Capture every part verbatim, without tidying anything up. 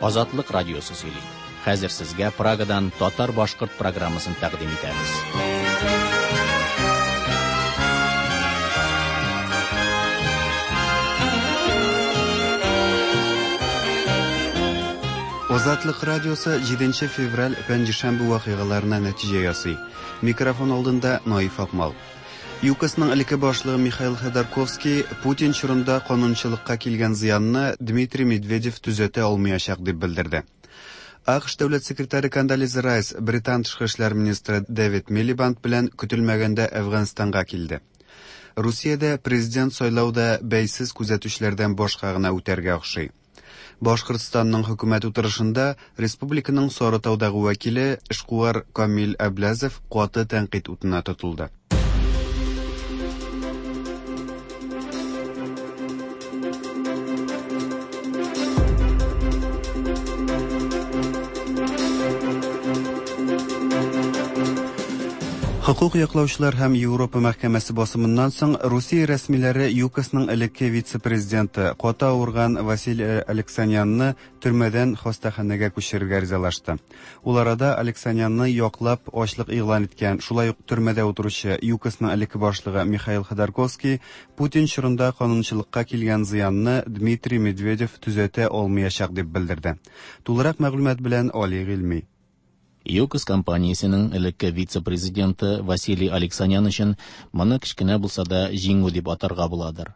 Азатлык радиосы сөйли. Хәзер сезгә Прагадан татар-башкорт программасын тәкъдим итәбез. Азатлык радиосы җиденче февраль пәнҗешәмбе вакыйгаларына нәтиҗә ясый. Микрофон алдында Наиф Акмал. ЮКОСның элекке башлыгы Михаил Ходорковский Путин чорында канунчылыкка килгән зыянны Дмитрий Медведев төзәтә алмаячак дип белдерде. АКШ дәүләт секретаре Кондолиза Райс Британ тышкы эшләр министры Дэвид Милибанд белән көтелмәгәндә Әфганстанга килде. Русиядә президент сайлауда бәйсез күзәтүчеләрдән башка гына үтәргә охшый. Башкортстанның хөкүмәт утырышында республиканың Сарытаудагы вәкиле эшкуар Камил Әбләзов каты тәнкыйть утына тотылды. Хокук яклаучылар һәм Европа мәхкәмәсе басымыннан соң Русия рәсмиләре ЮКОСның элекке вице-президенты каты авырган Василий Алексанянны төрмәдән хастаханәгә күчерергә ризалашты. Ул арада Алексанянны яклап ачлык игълан иткән, шулай ук төрмәдә утыручы ЮКОСның элекке башлыгы Михаил Ходорковский Путин чорында канунчылыкка килгән зыянны Дмитрий Медведев төзәтә алмаячак дип белдерде. Тулырак мәгълүмат белән Али Гыйльми. ЮКОС компаниясенең элекке вице-президенты Василий Алексанян өчен моны кечкенә булса да җиңү дип атарга буладыр.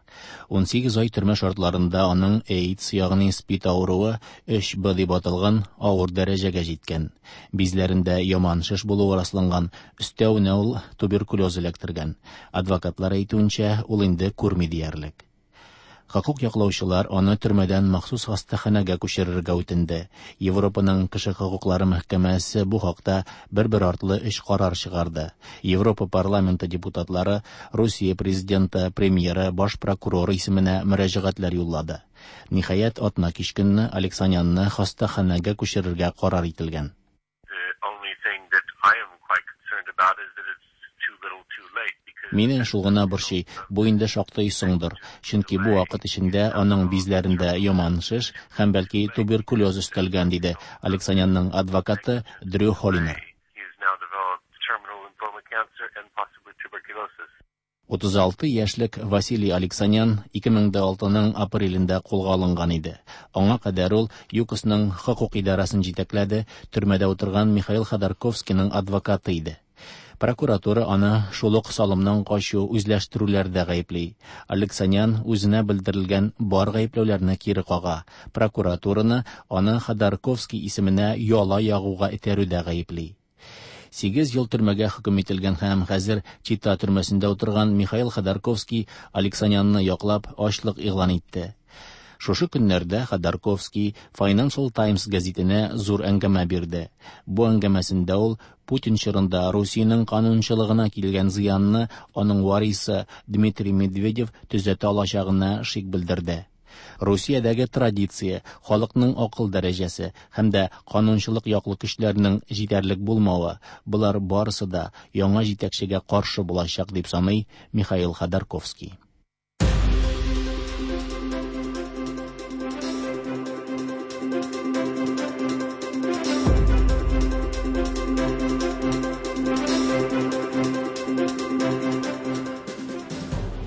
ун сигез ай төрмә шартларында аның AIDS, ягъни СПИД авыруы өч Б дип аталган авыр дәрәҗәгә җиткән. Бизләрендә яман шеш булуы расланган, өстәвенә ул туберкулез эләктергән. Адвокатлар әйтүенчә, ул инде күрми диярлек. Хокук яклаучылар аны төрмәдән махсус хастаханәгә күчерергә үтенде. Европаның кеше хокуклары мәхкәмәсе бу хакта бер-бер артлы өч карар чыгарды. Европа парламенты депутатлары Русия президенты, премьеры, баш прокурор исеменә мөрәҗәгатьләр юллады. Ниһаять, атна кич көнне Алексанянны хастаханәгә күчерергә карар ителгән. Мине шул гына борчый, бу инде шактый соңдыр, чөнки бу вакыт эчендә аның бизләрендә яман шеш һәм бәлки туберкулез өстәлгән, диде Алексанянның адвокаты Дрю Холлинер. Утыз алты яшьлек Василий Алексанян ике мең дә алтының апрелендә кулга алынган иде. Аңа кадәр ул ЮКОСның хокук идарәсен җитәкләде, төрмәдә утырган Михаил Ходорковскийның адвокаты иде. Прокуратура аны шул ук салымнан качу, үзләштерүләрдә гаепли. Алексанян үзенә белдерелгән бар гаепләүләрне кире кага. Прокуратураны аны Ходорковский исеменә яла ягуга этәрүдә гаепли. Сигез ел төрмәгә хөкем ителгән һәм хәзер Чита төрмәсендә утырган Михаил Ходорковский Алексанянны яклап ачлык игълан итте. Шушы көннәрдә Ходорковский Financial Times гәзитенә зур әңгәмә бирде. Бу әңгәмәсендә ул Путин чорында Русиянең канунчылыгына килгән зыянны аның варисы Дмитрий Медведев төзәтә алачагына шик белдерде. Русиядәге традиция, халыкның акыл дәрәҗәсе һәм дә канунчылык яклы көчләрнең җитәрлек булмавы, болар барысы да яңа җитәкчегә каршы булачак дип саный Михаил Ходорковский.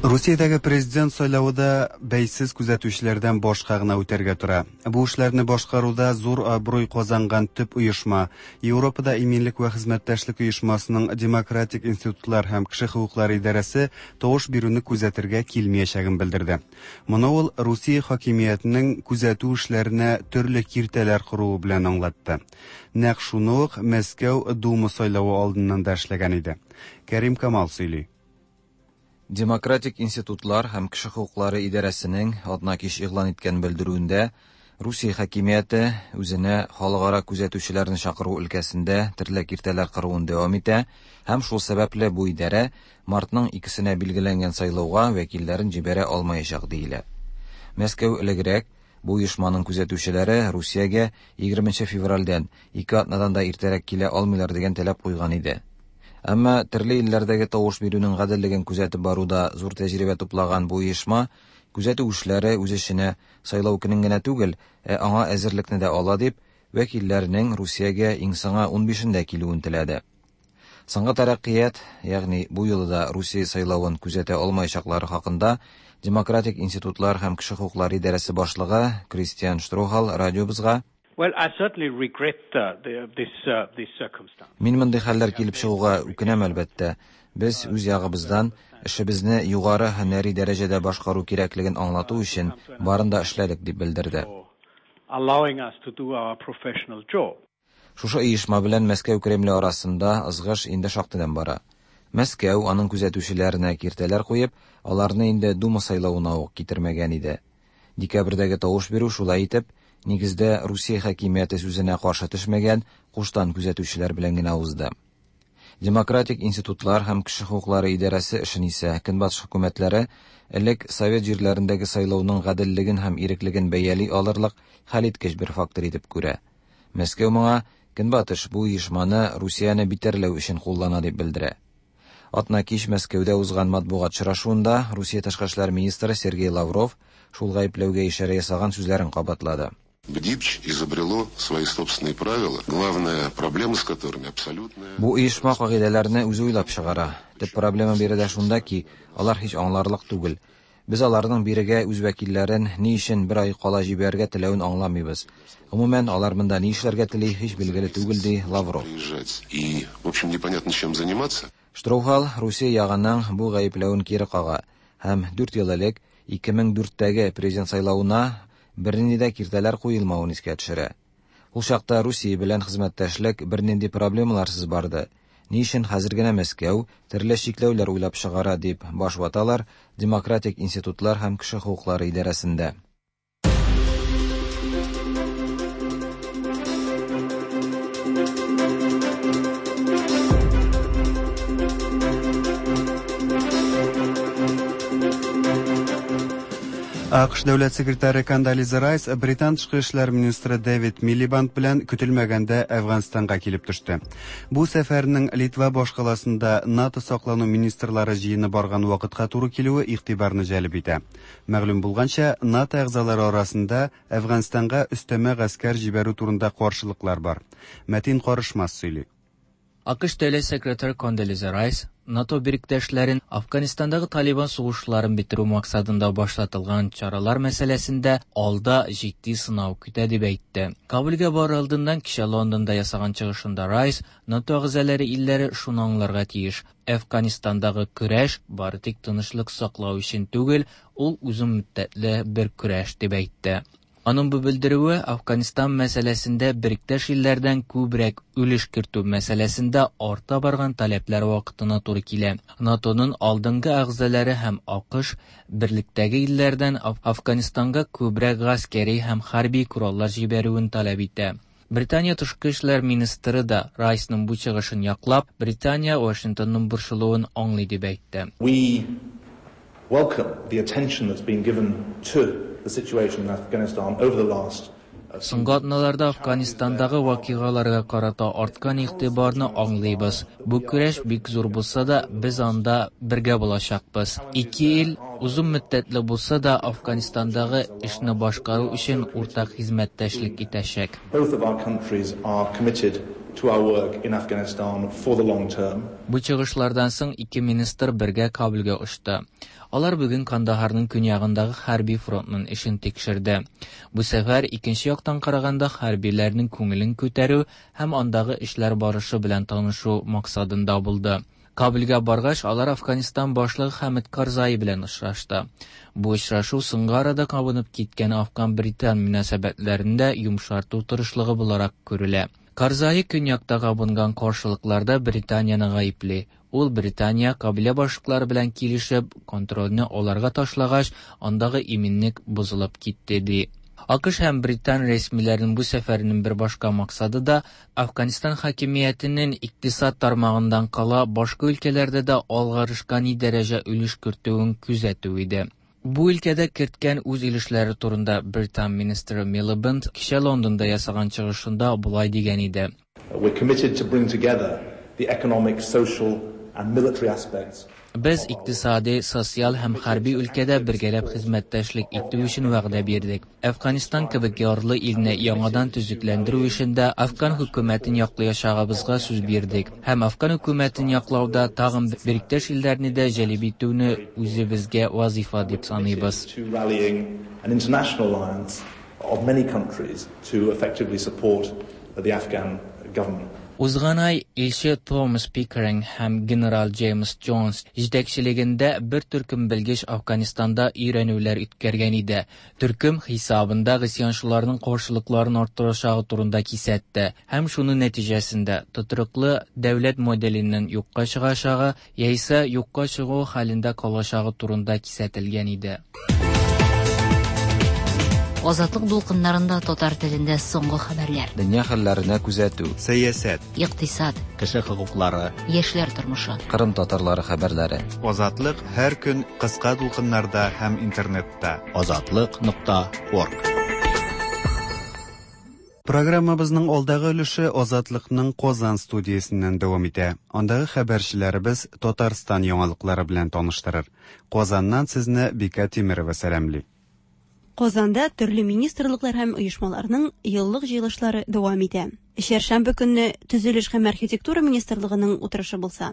Русиядәге президент сайлавы да бәйсез күзәтүчеләрдән башка гына үтәргә тора. Бу эшләрне башкаруда зур абруй казанган төп оешма, Европада иминлек вә хезмәттәшлек оешмасының демократик институтлар һәм кеше хокуклары идарәсе тавыш бирүне күзәтергә килмәячәген белдерде. Моны ул Русия хакимиятенең күзәтү эшләренә төрле киртәләр коруы белән аңлатты. Нәкъ шуны ук Мәскәү Дума сайлавы алдыннан да эшләгән иде. Кәрим Камал сөйли. Демократик институтлар һәм кеше хокуклары идарәсенең атна кич игълан иткән белдерүендә Русия хакимияте үзенә халыкара күзәтүчеләрне чакыру өлкәсендә төрле киртәләр кыруын дәвам итә һәм шул сәбәпле бу идарә мартның икесенә билгеләнгән сайлауга вәкилләрен җибәрә алмаячак диелә. Мәскәү элегрәк бу оешманың күзәтүчеләре Русиягә егерменче февральдән ике атнадан да иртәрәк килә алмыйлар дигән таләп куйган иде. Әмма төрле илләрдәге тавыш бирүнең гаделлеген күзәтеп баруда зур тәҗрибә туплаган бу оешма күзәтү эшләре үз эченә сайлау көнен генә түгел, ә аңа әзерлекне дә ала дип, вәкилләренең Русиягә иң соңы унбишендә килүен теләде. Соңгы тәрәккыят, ягъни бу юлы да Русия сайлавын күзәтә алмаячаклары хакында Демократик институтлар һәм кеше хокуклары идарәсе башлыгы Кристиан Штрохал радиобызга Well, I certainly regret uh, the, this, uh, this circumstance. Мин мондый хәлләр килеп чыгуга үкенәм, әлбәттә. Без үз ягыбыздан эшебезне югары һөнәри дәрәҗәдә башкару кирәклеген аңлату өчен барын да эшләдек, дип белдерде. Allowing us to do our professional job. Шушы оешма белән Мәскәү Кремле арасында ызгыш инде шактыйдан бара. Мәскәү аның күзәтүчеләренә киртәләр куеп, аларны инде Дума сайлавына ук китермәгән иде. Декабрьдәге тавыш бирү шулай итеп, нигездә Русия хакимияте сүзенә каршы төшмәгән куштан күзәтүчеләр белән генә узды. Демократик институтлар һәм кеше хокуклары идарәсе эшен исә Көнбатыш хөкүмәтләре элек совет җирләрендәге сайлауның гаделлеген һәм иреклеген бәяли алырлык хәлиткеч бер фактор итеп күрә. Мәскәү моңа Көнбатыш бу оешманы Русияне битәрләү өчен куллана дип белдерә. Атна кич Мәскәүдә узган матбугат очрашуында Русия тышкы эшләр министры Сергей Лавров шул гаепләүгә ишарә ясаган сүзләрен кабатлады. БДИПЧ изобрело свои собственные правила, главная проблема с которыми абсолютная... Бу оешма кагыйдәләрне үзе уйлап чыгара. Төп проблема биредә шунда ки, алар һич аңларлык түгел. Без аларның бирегә үз вәкилләрен ни өчен бер ай кала җибәрергә теләвен аңламыйбыз. Гомумән, алар монда ни эшләргә тели, һич билгеле түгел, ди Лавров. Приезжать и, в общем, непонятно чем заниматься. Штрохал Русия ягының бу гаепләвен кире кага һәм дүрт ел элек ике мең дүрттәге президент сайлавына бернинди дә киртәләр куелмавын искә төшерә. Ул чакта Русия белән хезмәттәшлек бернинди проблемаларсыз барды. Ни өчен хәзер генә Мәскәү төрле чикләүләр уйлап чыгара дип баш ваталар Демократик институтлар һәм кеше хокуклары идарәсендә. АКШ дәүләт секретаре Кондолиза Райс Британ тышкы эшләр министры Дэвид Милибанд белән көтелмәгәндә Әфганстанга килеп төште. Бу сәфәрнең Литва башкаласында НАТО саклану министрлары җыены барган вакытка туры килүе игътибарны җәлеп итә. Мәгълүм булганча, НАТО әгъзалары арасында Әфганстанга өстәмә гаскәр җибәрү турында каршылыклар бар. Мәтин Карышмас сөйли. АКШ дәүләт секретаре Кондолиза Райс НАТО birikдәшләрен Афганистандагы Талибан сугышларын бетерү максатында башлатылган чаралар мәсьәләсендә алда җитди сынау көтә дип әйтте. Кабулгә барыр алдыннан кичә Лондонда ясаган чыгышында Райс НАТО әгъзалары илләре шуны аңларга тиеш: Афганистандагы көрәш бары тик тынычлык саклау өчен түгел, ул озын мөддәтле бер көрәш дип әйтте. Аның бу белдерүе Афганистан мәсьәләсендә биректәш илләрдән күбрәк өлеш кертү мәсьәләсендә арта барган таләпләр вакытына туры килә. НАТОның алдынгы әгъзалары һәм АКШ берлектәге илләрдән Афганистанга күбрәк гаскәри һәм хәрби кораллар җибәрүен таләп итә. Британия тышкы эшләр министры да Райсның бу чыгышын яклап, Британия Вашингтонның борчылуын аңлый дип әйтте. We welcome the attention that's been given to the situation in Afghanistan over the last Соңгы атналарда Афганистандагы вакыйгаларга карата арткан игътибарны аңлыйбыз. Бу көрәш бик зур булса да, без анда бергә булачакбыз. Ике ил озын мөддәтле булса да, Афганистандагы эшне башкару өчен уртак хезмәттәшлек итәчәк. Both of our countries are committed to our work in Afghanistan for the long term. Бу чыгышлардан соң ике министр бергә Кабулгә очты. Алар бүген Кандаһарның көньягындагы хәрби фронтның эшен тикшерде. Бу сәфәр икенче яктан караганда хәрбиләрнең күңелен күтәрү һәм андагы эшләр барышы белән танышу максатында булды. Кабулгә баргач, алар Афганистан башлыгы Хәмид Карзай белән очрашты. Бу очрашу соңгы арада кабынып киткән Афган-Британ мөнәсәбәтләрендә йомшарту тырышлыгы буларак күрелә. Карзай көньякта кабынган каршылыкларда Британияне гаепли. Ул Британия кабилә башлыклары белән килешеп, контрольне аларга ташлагач, андагы иминлек бозылып китте ди. АКШ һәм Британ рәсмиләренең бу сәфәренең бер башка максаты да Афганистан хакимиятенең икътисад тармагыннан кала башка өлкәләрдә дә алгарышка ни дәрәҗә өлеш кертүен күзәтү иде. Бу өлкәдә керткән үз өлешләре турында Британ министры Милибанд кичә Лондонда ясаган чыгышында болай дигән иде. We're committed to bring together the economic, social and military aspects. Без икътисади, социаль һәм хәрби өлкәдә бергәләп хезмәттәшлек итү өчен вәгъдә бирдек. Әфганистан кебек ярлы илне яңадан төзекләндерү эшендә Афган хөкүмәтен яклаячагыбызга сүз бирдек. Һәм Афган хөкүмәтен яклауда тагын бериктәш илләрне дә җәлеп итүне үзебезгә вазифа дип саныйбыз. To rallying an international alliance of many countries to effectively support the Afghan government. Узган ай илче Томас Пикеринг һәм генерал Джеймс Джонс җитәкчелегендә бер төркем белгеч Афганистанда өйрәнүләр үткәргән иде. Төркем хисабында гыйсьянчыларның каршылыкларын арттырачагы турында кисәтте һәм шуның нәтиҗәсендә тотрыклы дәүләт моделенең юкка чыгачагы яисә юкка чыгу хәлендә калачагы турында кисәтелгән иде. Азатлык дулкыннарында татар телендә соңгы хәбәрләр. Дөнья хәлләренә күзәтү. Сәясәт, Икътисад, Кеше хокуклары, яшьләр тормышы. Кырым татарлары хәбәрләре. Азатлык һәр көн кыска дулкыннарда һәм интернетта. Азатлык нокта орг. Программабызның алдагы өлеше Азатлыкның Казан студиясеннән дәвам итә. Андагы хәбәрчеләребез Татарстан яңалыклары белән таныштырыр. Казаннан сезне Бика Тимирова сәламли. Казанда төрле министрлыклар һәм оешмаларның еллык җыелышлары дәвам итә. Чәршәмбе көнне Төзелеш һәм архитектура министрлыгының утырышы булса,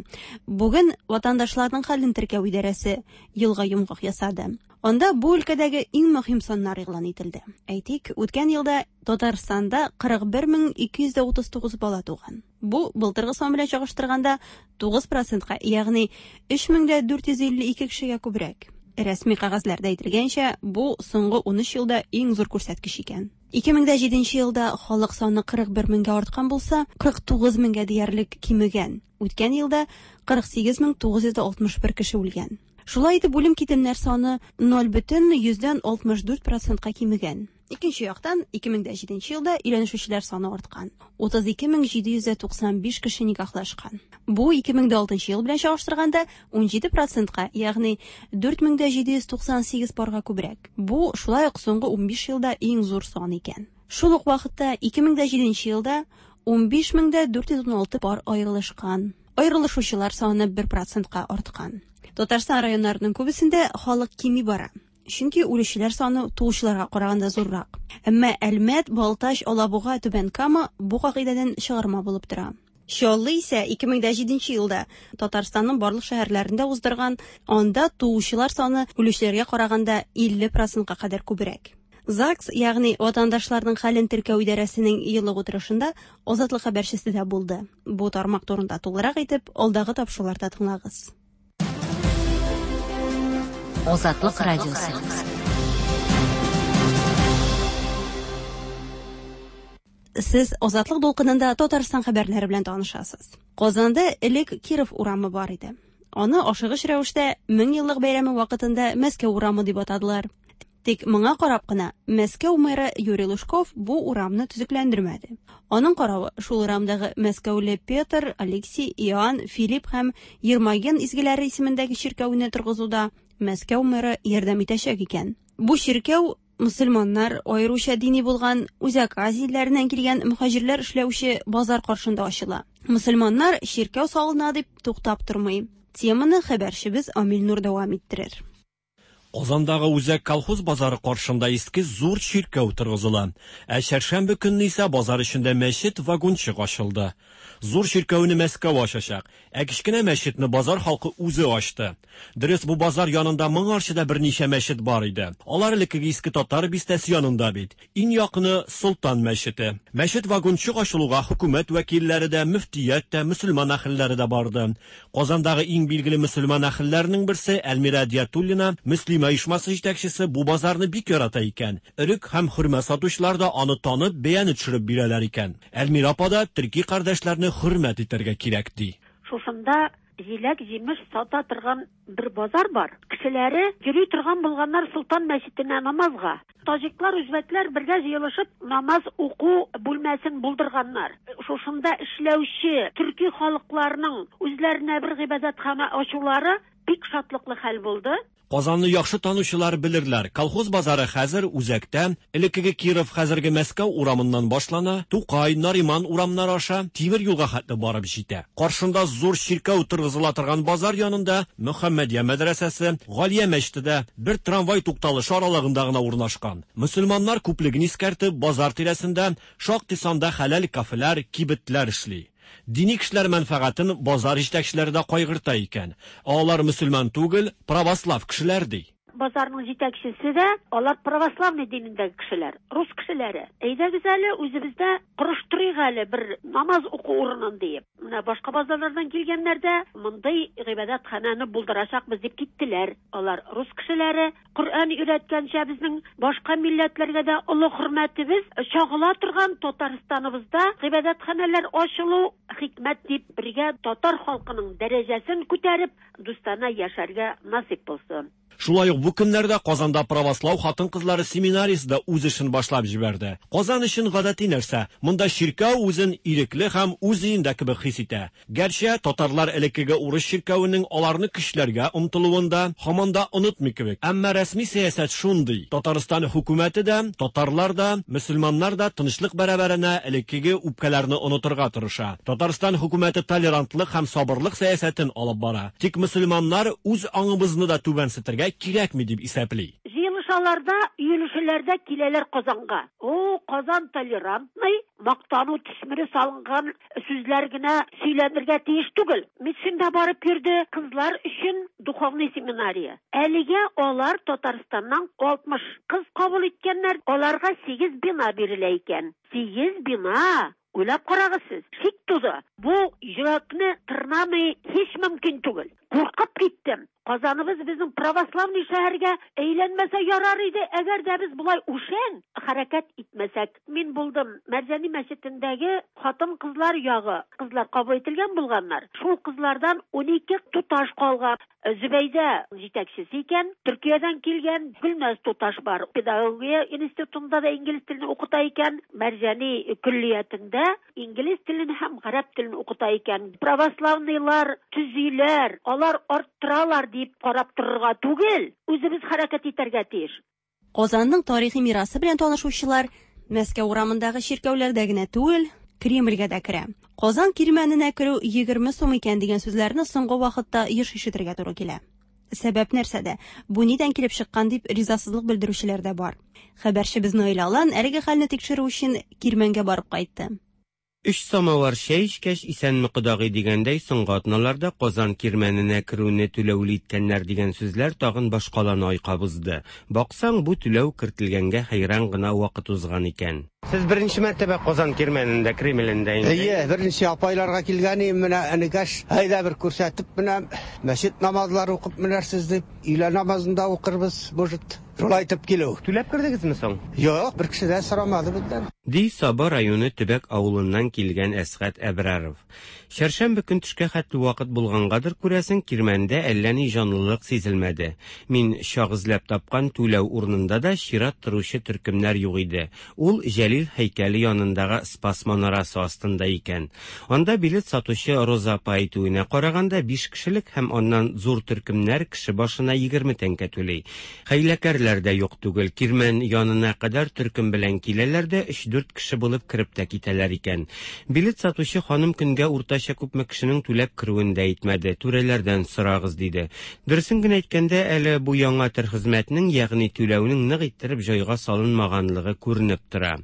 бүген ватандашларның хәлен теркәү идарәсе елга йомгак ясады. Анда бу өлкәдәге иң мөһим саннар игълан ителде. Әйтик, үткән елда Татарстанда кырык бер мең ике йөз утыз тугыз бала туган. Бу былтыргы сан белән чагыштырганда тугыз процентка, ягъни өч мең дә дүрт йөз илле ике кешегә күбрәк. Рәсми кәгазьләрдә әйтелгәнчә, бу соңгы ун өч елда иң зур күрсәткеч икән. Ике мең дә җиденче елда халык саны кырык бер меңгә арткан булса, кырык тугыз меңгә диярлек кимегән. Үткән елда кырык сигез мең тугыз йөз алтмыш бер кеше үлгән. Шулай итеп, үлем китемнәр саны ноль бөтен йөздән алтмыш дүрт процентка кимегән. Икенче яктан, ике мең дә җиденче елда өйләнешүчеләр саны арткан. Утыз ике мең җиде йөз туксан биш кеше никахлашкан. Бу ике мең дә алтынчы ел белән чагыштырганда ун җиде процентка, ягъни дүрт мең дә җиде йөз туксан сигез парга күбрәк. Бу шулай ук соңгы ун биш елда иң зур сан икән. Шул ук вакытта ике мең дә җиденче елда ун биш мең дә дүрт йөз ун алты пар аерылышкан. Аерылышучылар саны бер процентка арткан. Татарстан районнарының күбесендә халык кими бара. Чөнки үлүчеләр саны туучыларга караганда зуррак. Әмма Әлмәт, Балтач, Алабуга, Түбән Кама бу кагыйдәдән чыгарма булып тора. Чаллы исә ике мең дә җиденче елда Татарстанның барлык шәһәрләрендә уздырган, анда туучылар саны үлүчеләргә караганда илле процентка кадәр күбрәк. ЗАГС, ягъни ватандашларның хәлен теркәү идарәсенең еллык утырышында Азатлык хәбәрчесе дә булды. Бу тармак турында тулырак итеп алдагы тапшыруларда тыңлагыз. Азатлык радиосы. Сез Азатлык дулкынында Татарстан хәбәрләре белән танышасыз. Казанда элек Киров урамы бар иде. Аны ашыгыч рәвештә мең еллык бәйрәме вакытында Мәскәү урамы дип атадылар. Тик моңа карап кына Мәскәү мэры Юрий Лужков бу урамны төзекләндермәде. Аның каравы шул урамдагы Мәскәүле Петр, Алексей, Иоанн, Филипп һәм Ермоген изгеләре исемендәге чиркәүне торгызуда Мәскәү мэры ярдәм итәчәк икән. Бу чиркәү мөселманнар, аеруча дини булган Үзәк Азия илләреннән килгән мөһаҗирләр эшләүче базар каршында ачыла. Мөселманнар чиркәү салына дип туктап тормый. Теманы хәбәрчебез Амил Нур дәвам иттерер. Казандагы үзәк колхоз базары каршында иске зур чиркәү торгызыла. Ә чәршәмбе көнне исә базар эчендә мәчет вагончык ачылды. Зур чиркәүне Мәскәү ачачак, ә кечкенә мәчетне базар халкы үзе ачты. Дөрес, бу базар янында моңарчы да берничә мәчет бар иде. Алар элеккеге иске татар бистәсе янында бит. Иң якыны Солтан мәчете. Мәчет вагончык ачылуга хөкүмәт вәкилләре дә, мөфтият тә, мөселман әһелләре дә барды. Казандагы иң билгеле мөселман әһелләренең берсе Әлмирә Диятуллина, Мөслимә оешмасы җитәкчесе, бу базарны бик ярата икән. Өрек һәм хөрмә сатучылар да аны танып, бәяне төшереп бирәләр икән. Әлмирә апа да төрки кардәшләрне хөрмәт итәргә кирәк ди. Шушында җиләк җимеш сата торган бер базар бар. Кешеләре йөри торган булганнар Солтан мәчетенә намазга. Таҗиклар, үзбәкләр бергә җыелышып намаз уку бүлмәсен булдырганнар. Шушында эшләүче төрки халыкларның үзләренә бер гыйбадәтхана ачулары бик шатлыклы хәл булды. Казанны яхшы танучылар белерләр. Колхоз базары хәзер үзәктә, элеккеге Киров, хәзерге Мәскәү урамыннан башлана, Тукай, Нариман урамнары аша тимер юлга хәтле барып җитә. Каршында зур чиркәү торгызыла торган базар янында Мөхәммәдия мәдрәсәсе, Галия мәчете дә бер трамвай тукталышы аралыгында гына урнашкан. Мөселманнар күплеген искәртеп, базар тирәсендә шактый санда хәләл кафелар, кибетләр эшли. Дини кешеләр мәнфәгатен базар җитәкчеләре дә кайгырта икән. Алар мөселман түгел, православ кешеләр ди. Базарның җитәкчесе дә алар православный динендәге кешеләр, рус кешеләре. Әйдәгез әле үзебездә корыштырыйк әле бер намаз уку урынын диеп. Менә башка базарлардан килгәннәр дә мондый гыйбадәтханәне булдырачакбыз дип киттеләр. Алар рус кешеләре, Коръән өйрәткәнчә безнең башка милләтләргә дә олы хөрмәтебез чагыла торган Татарстаныбызда гыйбадәтханәләр ачылу хикмәт дип бергә татар халкының дәрәҗәсен күтәреп, дустанә яшәргә насыйп булсын. Шулай ук бу көннәрдә Казанда православ хатын-кызлары семинариясе дә үз эшен башлап җибәрде. Казан өчен гадәти нәрсә. Монда чиркәү үзен ирекле һәм үз өендә кебек хис итә. Гәрчә татарлар элеккеге урыс чиркәвенең аларны көчләргә омтылуын да һаман да онытмый кебек. Әмма рәсми сәясәт шундый. Татарстан хөкүмәте дә, татарлар да, мөселманнар да тынычлык бәрабәренә элеккеге үпкәләрне онытырга тырыша. Татарстан хөкүмәте толерантлык һәм сабырлык сәясәтен алып бара. Тик мөселманнар үз аңыбызны да түбәнсетергә кирәкми дип исәпли. Җыелышаларда, өелешеләрдә киләләр Казанга. О, Казан толерантный, мактану төсмере салынган сүзләр генә сөйләнергә тиеш түгел. Митсинда барып йөрде кызлар өчен духовный семинария. Әлегә алар Татарстаннан алтмыш кыз кабул иткәннәр, аларга сигез бина бирелә икән. Сигез бина! Уйлап карагыз сез, шик туды. Бу йөрәкне тырнамый һич мөмкин түгел. Куркып киттем. Казаныбыз безнең православный шәһәргә әйләнмәсә ярар иде, әгәр дә без болай үшән хәрәкәт итмәсәк. Мин булдым Мәрҗани мәчетендәге хатын-кызлар ягы. Кызлар кабул ителгән булганнар. Шул кызлардан унике туташ калган. Зөбәйдә җитәкчесе икән, Төркиядән килгән Гөлназ туташ бар. Педагогия институтында да инглиз телен укыта икән, Мәрҗани көллиятендә инглиз телен һәм гарәп телен укыта икән. Православныйлар төзиләр, алар арттыралар дип карап торырга түгел, үзебез хәрәкәт итәргә тиеш. Казанның тарихи мирасы белән танышучылар Мәскәү урамындагы чиркәүләрдә генә түгел, Кремльгә дә керә. Казан кирмәненә керү егерме сум икән дигән сүзләрне соңгы вакытта еш ишетергә туры килә. Сәбәп нәрсәдә? Бу нидән килеп чыккан дип ризасызлык белдерүчеләр дә бар. Хәбәрчебез Наил Алан әлеге хәлне тикшерү өчен кирмәнгә барып кайтты. Өч самавар чәй эчкәч, исәнме кодагый дигәндәй, соңгы атналарда Казан кирмәненә керүне түләүле иткәннәр дигән сүзләр тагын башкаланы айкап узды. Баксаң, бу түләү кертелгәнгә хәйран гына вакыт узган икән. Сез беренче мәртәбә Казан кирмәнендә, Кремлендә инде? Әйе, беренче апайларга килгән идем, менә энекәш, әйдә бер күрсәтеп, менә мәчет намазлары укып менәрсез дип, өйлә намазын да укырбыз, может. Шулай итеп килү. Түләп кердегезме соң? Юк, бер кеше дә сорамады бездән. Ди Саба районы төбәк авылыннан килгән Әсгать Әбраров. Чәршәмбе көн төшкә хәтле вакыт булгангадыр, күрәсең, кирмәндә әллә ни җанлылык сизелмәде. Мин чак эзләп тапкан түләү урынында да чират торучы төркемнәр юк иде. Ул Җәлил һәйкәле янындагы Спас манарасы астында икән. Анда билет сатучы Роза апа әйтүенә караганда биш кешелек һәм аннан зур төркемнәр кеше башына егерме тәңкә түли. Хәйләкәрләр дә юк түгел. Кирмән янына кадәр төркем белән киләләр дә өч-дүрт кеше булып кереп тә китәләр икән. Билет сатучы ханым көнгә уртача күпме кешенең түләп керүен дә әйтмәде. Түрәләрдән сорагыз диде. Дөресен генә әйткәндә, әле бу яңа төр хезмәтнең, ягъни түләүнең нык иттереп җайга салынмаганлыгы күренеп тора.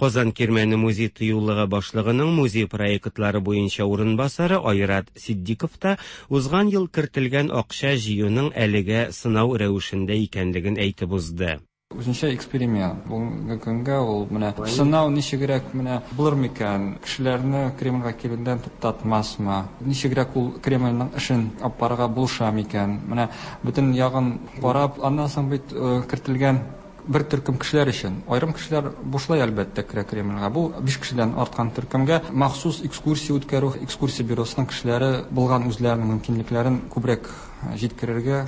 Казан кирмәне музей тыюлыгы башлыгының музей проектлары буенча урынбасары Айрат Сиддиков та узган ел кертелгән акча җыюның әлегә сынау рәвешендә икәнлеген әйтеп узды. Үзенчә эксперимент. Бүгенге көнгә ул менә сынау ничегрәк менә булыр микән? Кешеләрне Кремльгә килүдән туктатмасмы? Ничегрәк ул Кремльнең эшен алып барырга булыша микән? Менә бөтен ягын карап, аннан соң бит кертелгән бер төркем кешеләр өчен. Айрым кешеләр бушлай әлбәттә керә Кремльгә. Бу биш кешедән арткан төркемгә махсус экскурсия үткәрү, экскурсия бюросының кешеләре булган үзләренең мөмкинлекләрен күбрәк җиткерергә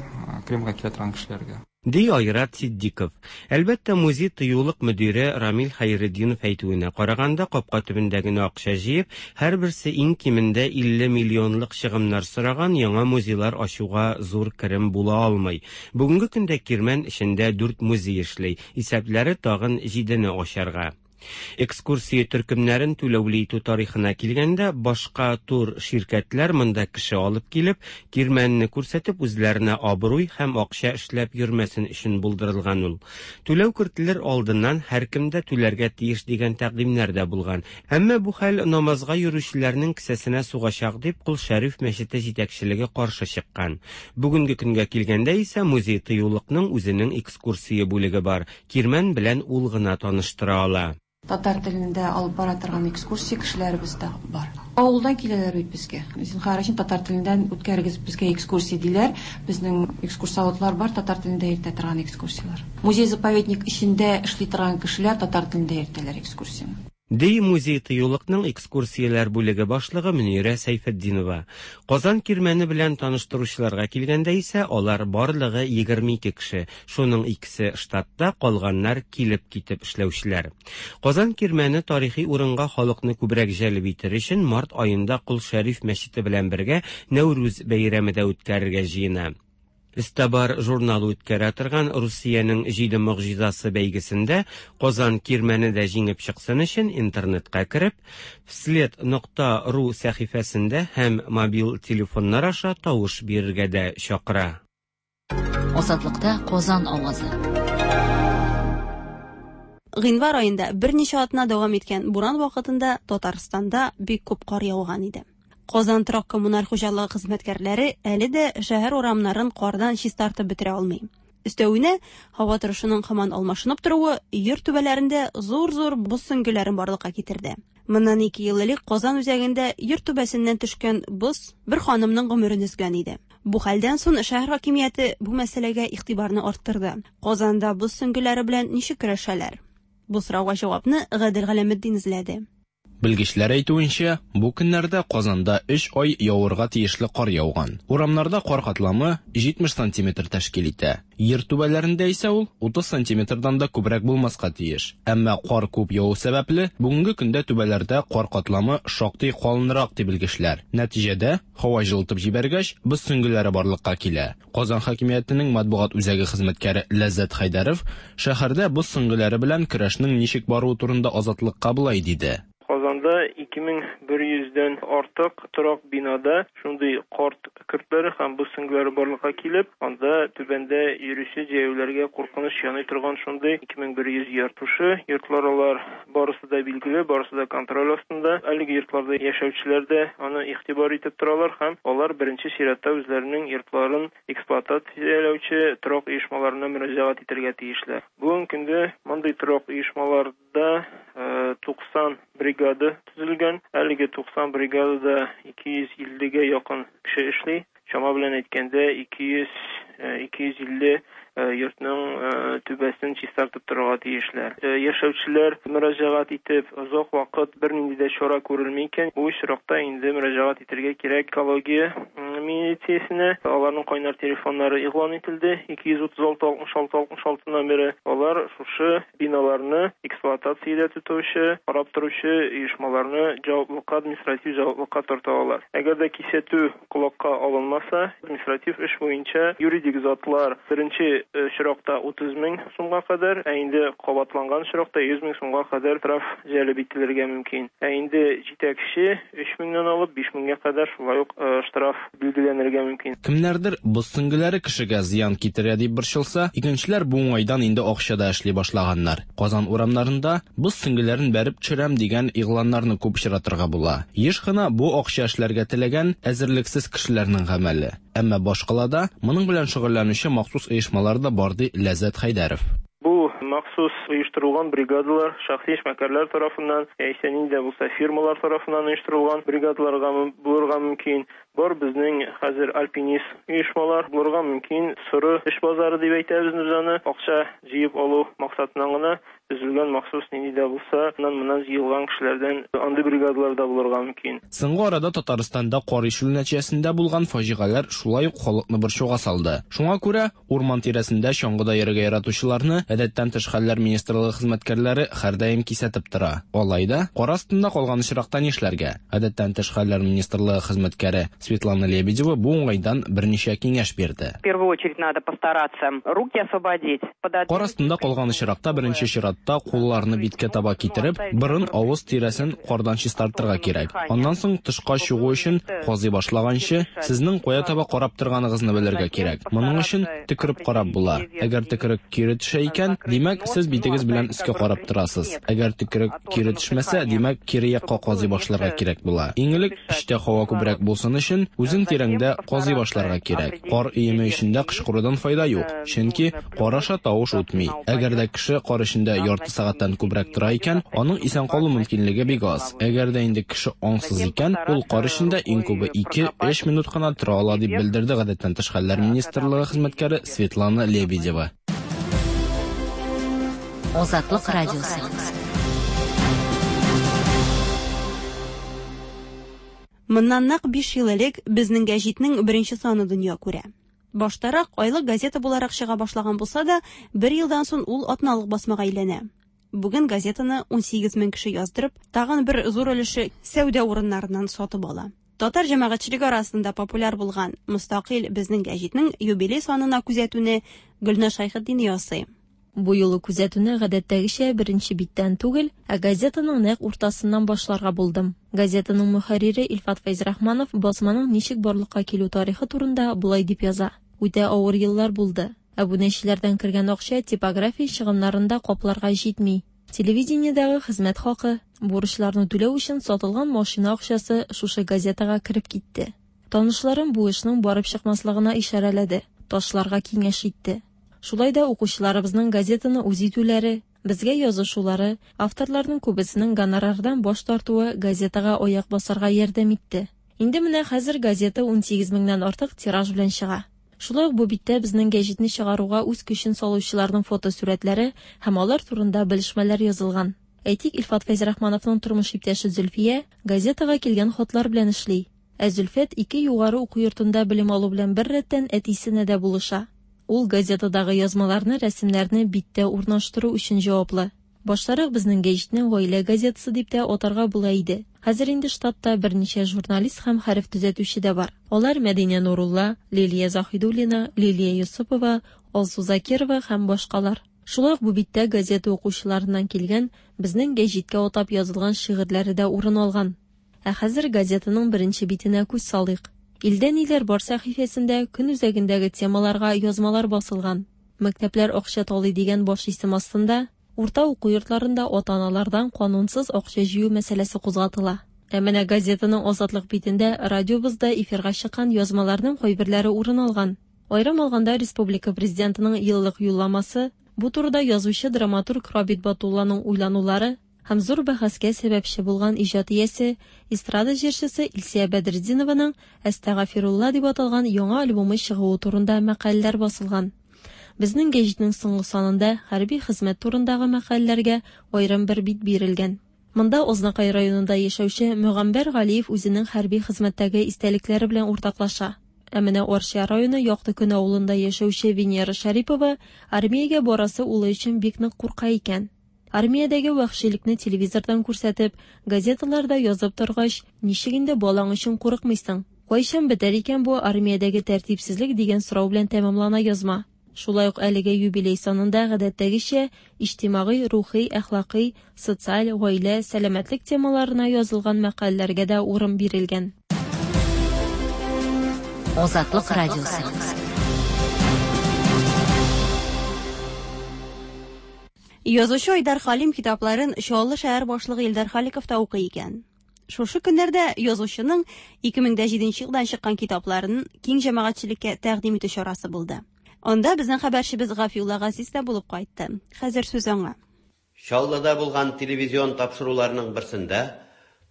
Кремльгә килә торган кешеләргә. Ди Айрат Ситдиков. Әлбәттә, музей-тыюлык мөдире Рамил Хәйретдинов әйтүенә караганда, капка төбендә генә акча җыеп, һәрберсе иң кимендә илле миллионлык чыгымнар сораган яңа музейлар ачуга зур керем була алмый. Бүгенге көндә Кирмән эчендә дүрт музей эшли, исәпләре тагын җидене ачарга. Экскурсия төркемнәрен түләүле итү тарихына килгәндә, башка тур ширкәтләр монда кеше алып килеп, Кирмәнне күрсәтеп, үзләренә абруй һәм акча эшләп йөрмәсен өчен булдырылган ул. Түләү кертелер алдыннан һәркем дә түләргә тиеш дигән тәкъдимнәр дә булган. Әмма бу хәл намазга йөрүчеләрнең кесәсенә сугачак дип Кол Шәриф мәчете җитәкчелеге каршы чыккан. Бүгенге көнгә килгәндә исә музей-тыюлыкның үзенең экскурсия бүлеге бар. Кирмән белән ул гына таныштыра ала. Татар телендә алып бара торган экскурсия кешеләребез дә бар. Авылдан киләләр бит безгә. Зинһар өчен татар телендән үткәрегез безгә экскурсия диләр. Безнең экскурсоводлар бар, татар телендә йөртә торган экскурсияләр. Музей-заповедник эчендә эшли торган кешеләр татар телендә йөртәләр экскурсияне. Ди музей-тыюлыкның экскурсияләр бүлеге башлыгы Мөнирә Сәйфетдинова. Казан Кирмәне белән таныштыручыларга килгәндә исә алар барлыгы егерме ике кеше, шуның икесе штатта, калганнар килеп китеп эшләүчеләр. Казан Кирмәне тарихи урынга халыкны күбрәк җәлеп итер өчен март аенда Кол Шәриф мәчете белән бергә Нәүрүз бәйрәме дә үткәрергә җыена. Эстабар журналы үткәрә торган Русиянең җиде могҗизасы бәйгесендә Казан Кирмәне дә җиңеп чыксын өчен интернетка кереп, вслед нокта ру сәхифәсендә һәм мобиль телефоннар аша тавыш бирергә дә чакыра. Азатлыкта Казан авазы. Гыйнвар аенда берничә атна дәвам иткән буран вакытында Татарстанда бик күп кар яуган иде. Казан торак коммуналь хуҗалыгы хезмәткәрләре әле дә шәһәр урамнарын кардан чистартып бетерә алмый. Өстәвенә, һава торышының һаман алмашынып торуы йорт түбәләрендә зур-зур боз сөңгеләрен барлыкка китерде. Моннан ике ел элек Казан үзәгендә йорт түбәсеннән төшкән боз бер ханымның гомерен өзгән иде. Бу хәлдән соң шәһәр хакимияте бу мәсьәләгә игътибарны арттырды. Казанда боз сөңгеләре белән ничек көрәшәләр? Бу сорауга җавапны Гадел Галәметдин эзләде. Белгечләр әйтүенчә, бу көннәрдә Казанда өч ай явырга тиешле кар яуган. Урамнарда кар катламы җитмеш сантиметр тәшкил итә. Ер түбәләрендә исә ул утыз сантиметрдан да күбрәк булмаска тиеш. Әмма кар күп яву сәбәпле, бүгенге көндә түбәләрдә кар катламы шактый калынрак дип белгечләр. Нәтиҗәдә, һава җылытып җибәргәч, боз сөңгеләре барлыкка килә. Казан хакимиятенең матбугат үзәге хезмәткәре Ләззәт Хәйдәров шәһәрдә боз сөңгеләре белән көрәшнең ничек баруы турында Азатлыкка болай диде. Казанда ике мең бер йөздән артык торак бинада шундый карт көртләре һәм боз сөңгеләре барлыкка килеп, анда түбәндә йөрүче җәяүләргә куркыныч яный торган шундый ике мең бер йөз йорт. Шушы йортлар алар барысы да билгеле, барысы да контроль астында. Әлеге йортларда яшәүчеләр дә аны игътибар итеп торалар һәм алар беренче чиратта үзләренең йортларын эксплуатацияләүче торак оешмаларына мөрәҗәгать итәргә тиешләр. Бүгенге көндә мондый торак оешмаларда туксан бригада төзелгән. Әлеге туксан бригадада ике йөз иллегә якын кеше эшли. Чама белән әйткәндә ике йөз ике йөз илле йортның түбәсен чистартып торырга тиешләр. Яшәүчеләр мөрәҗәгать итеп, озак вакыт бернинди дә чара күрелми икән, бу очракта инде мөрәҗәгать итәргә кирәк экология милициясенә. Аларның кайнар телефоннары игълан ителде. ике йөз утыз алты алтмыш алты алтмыш алты номеры. Алар шушы биналарны эксплуатациядә тотучы, карап торучы оешмаларны җаваплылыкка, административ җаваплылыкка тарта алалар. Әгәр дә кисәтү колакка алынмаса, административ эш буенча юридик затлар беренче очракта утыз мең сумга кадәр, ә инде кабатланган очракта йөз мең сумга кадәр штраф җәлеп ителергә мөмкин. Ә инде җитәкче өч меңнән алып биш меңгә кадәр шулай ук штраф билгеләнергә мөмкин. Кемнәрдер боз сөңгеләре кешегә зыян китерә дип борчылса, икенчеләр бу уңайдан инде акча да эшли башлаганнар. Казан урамнарында боз сөңгеләрен бәреп төшерәм дигән игъланнарны күп очратырга була. Еш кына бу акча эшләргә теләгән әзерлексез кешеләрнең гамәле. Әмма башкалада моның белән шөгыльләнүче махсус оешмалар да бар, ди Ләззәт Хәйдәров. Бу махсус оештырылган бригадалар шәхси эшмәкәрләр тарафыннан, яисә нинди дә булса фирмалар тарафыннан оештырылган бригадаларга булырга мөмкин. Бар безнең хәзер альпинист оешмалар булырга мөмкин, соры эш базары дип әйтәбез без аны, акча җыеп алу максатыннан гына төзелгән махсус нинди дә булса, аннан-моннан җыелган кешеләрдән андый бригадалар да булырга мөмкин. Соңгы арада Татарстанда кар ишелү нәтиҗәсендә булган фаҗигаләр шулай ук халыкны борчуга салды. Шуңа күрә урман тирәсендә чаңгыда йөрергә яратучыларны Гадәттән тыш хәлләр министрлыгы хезмәткәрләре һәрдаим кисәтеп тора. Алай да кар астында калган очракта нишләргә? Гадәттән тыш хәлләр министрлыгы хезмәткәре Светлана Лебедева бу уңайдан берничә киңәш бирде. В первую очередь надо постараться руки освободить. Кар астында калган очракта беренче чиратта кулларны биткә таба китереп, борын авыз тирәсен кардан чистартырга кирәк. Аннан соң тышка чыгу өчен казый башлаганчы, сезнең кая таба карап торганыгызны белергә кирәк. Моның өчен төкереп карап була. Әгәр төкерек кире төшә икән, димәк, сез битегез белән өскә карап торасыз. Әгәр төкерек кире төшмәсә, димәк, кире якка казый башларга кирәк була. Иң элек эчтә һава күбрәк булсын өчен, үзең тирәңдә казый башларга кирәк. Кар өеме эчендә кычкырудан файда юк, чөнки кар аша тавыш үтми. Әгәр дә кеше кар эчендә ярты сәгатьтән күбрәк тора икән, аның исән калу мөмкинлеге бик аз. Әгәр дә инде кеше аңсыз икән, ул кар эчендә иң күбе ике-өч минут кына тора ала, дип белдерде Гадәттән тыш хәлләр министрлыгы хезмәткәре Светлана Лебедева. Азатлык радиосы. Моннан нәкъ биш ел элек Безнең гәҗитнең беренче саны дөнья күрә. Баштарак айлык газета буларак чыга башлаган булса да, бер елдан соң ул атналык басмага әйләнә. Бүген газетаны унсигез мең кеше яздырып, тагын бер зур өлеше сәүдә урыннарыннан сатып ала. Татар җәмәгатьчелеге арасында популяр булган мөстәкыйль Безнең гәҗитнең юбилей санына күзәтүне Гөлназ Шәйхетдин ясый. Бу юлы күзәтүне гадәттәгечә беренче биттән түгел, ә газетаның нәкъ уртасыннан башларга булдым. Газетаның мөхәррире Илфат Фәйзрахманов басманың ничек барлыкка килү тарихы турында болай дип яза. Үтә авыр еллар булды. Әбүнәчеләрдән кергән акча типография чыгымнарында капларга җитми. Телевидениедәге хезмәт хакы, бурычларны түләү өчен сатылган машина акчасы шушы газетага кереп китте. Танышларым бу эшнең барып чыкмаслыгына ишарәләде, ташларга киңәш итте. Шулай да укучыларыбызның газетаны үз итүләре, безгә язышулары, авторларның күбесенең гонорардан баш тартуы газетага аяк басарга ярдәм итте. Инде менә хәзер газета унсигез меңнән артык тираж белән чыга. Шулай ук бу биттә безнең гәҗитне чыгаруга үз көчен салучыларның фотосурәтләре һәм алар турында белешмәләр язылган. Әйтик, Илфат Фәйзрахмановның тормыш иптәше Зөлфия газетага килгән хатлар белән эшли. Ә Зөлфәт ике югары уку йортында белем алу белән бер рәттән әтисенә дә булыша. Ул газетадагы язмаларны, рәсемнәрне биттә урнаштыру өчен җаваплы. Баштарак безнең гәҗитне гаилә газетасы дип тә атарга була иде. Хәзер инде штатта берничә журналист һәм хәреф төзәтүче дә бар. Алар Мәдинә Нурулла, Лилия Заһидуллина, Лилия Юсупова, Алсу Закирова һәм башкалар. Шулай ук бу биттә газета укучыларыннан килгән безнең гәҗиткә атап язылган шигырьләре дә урын алган. Ә хәзер газетаның беренче битенә күз салыйк. Илдә ниләр бар сәхифәсендә көн үзәгендәге темаларга язмалар басылган. Мәктәпләр акча талый дигән баш исем астында урта уку йортларында ата-аналардан канунсыз акча җыю мәсьәләсе кузгатыла. Ә менә газетаның Азатлык битендә радиобызда эфирга чыккан язмаларның кайберләре урын алган. Аерым алганда республика президентының еллык юлламасы, бу турыда язучы драматург Рабит Батулланың уйланулары һәм зур бәхәскә сәбәпче булган иҗат иясе, эстрада җырчысы Илсия Бәдретдинованың Әстәгафирулла дип аталган яңа альбомы чыгуы турында мәкаләләр басылган. Безнең гәҗитнең соңгы санында хәрби хезмәт турындагы мәкаләләргә аерым бер бит бирелгән. Монда Ознакай районында яшәүче Мөгамбәр Галиев үзенең хәрби хезмәттәге истәлекләре белән уртаклаша. Ә менә Арча районы Якты Көн авылында яшәүче Венера Шәрипова армиягә барасы улы өчен бик нык курка икән. Армиядәге вәхшилекне телевизордан күрсәтеп, газеталарда язып торгач, ничек инде балаң өчен курыкмыйсың? Кайчан бетәр икән бу армиядәге тәртипсезлек дигән сорау белән тәмамлана язма. Шулай ук әлеге юбилей санында гадәттәгечә иҗтимагый, рухи, әхлакый, социаль, гаилә, сәламәтлек темаларына язылган мәкаләләргә дә урын бирелгән. Азатлык радиосы. Язучы Айдар Халим китапларын Чаллы шәһәр башлыгы Илдар Халиков та укый икән. Шушы көннәрдә язучының ике мең дә җиденче елдан чыккан китапларын киң җәмәгатьчелеккә тәкъдим итү чарасы булды. Анда безнең хәбәрчебез Гафиулла Газиз дә булып кайтты. Хәзер сүз аңа. Чаллыда булган телевизион тапшыруларның берсендә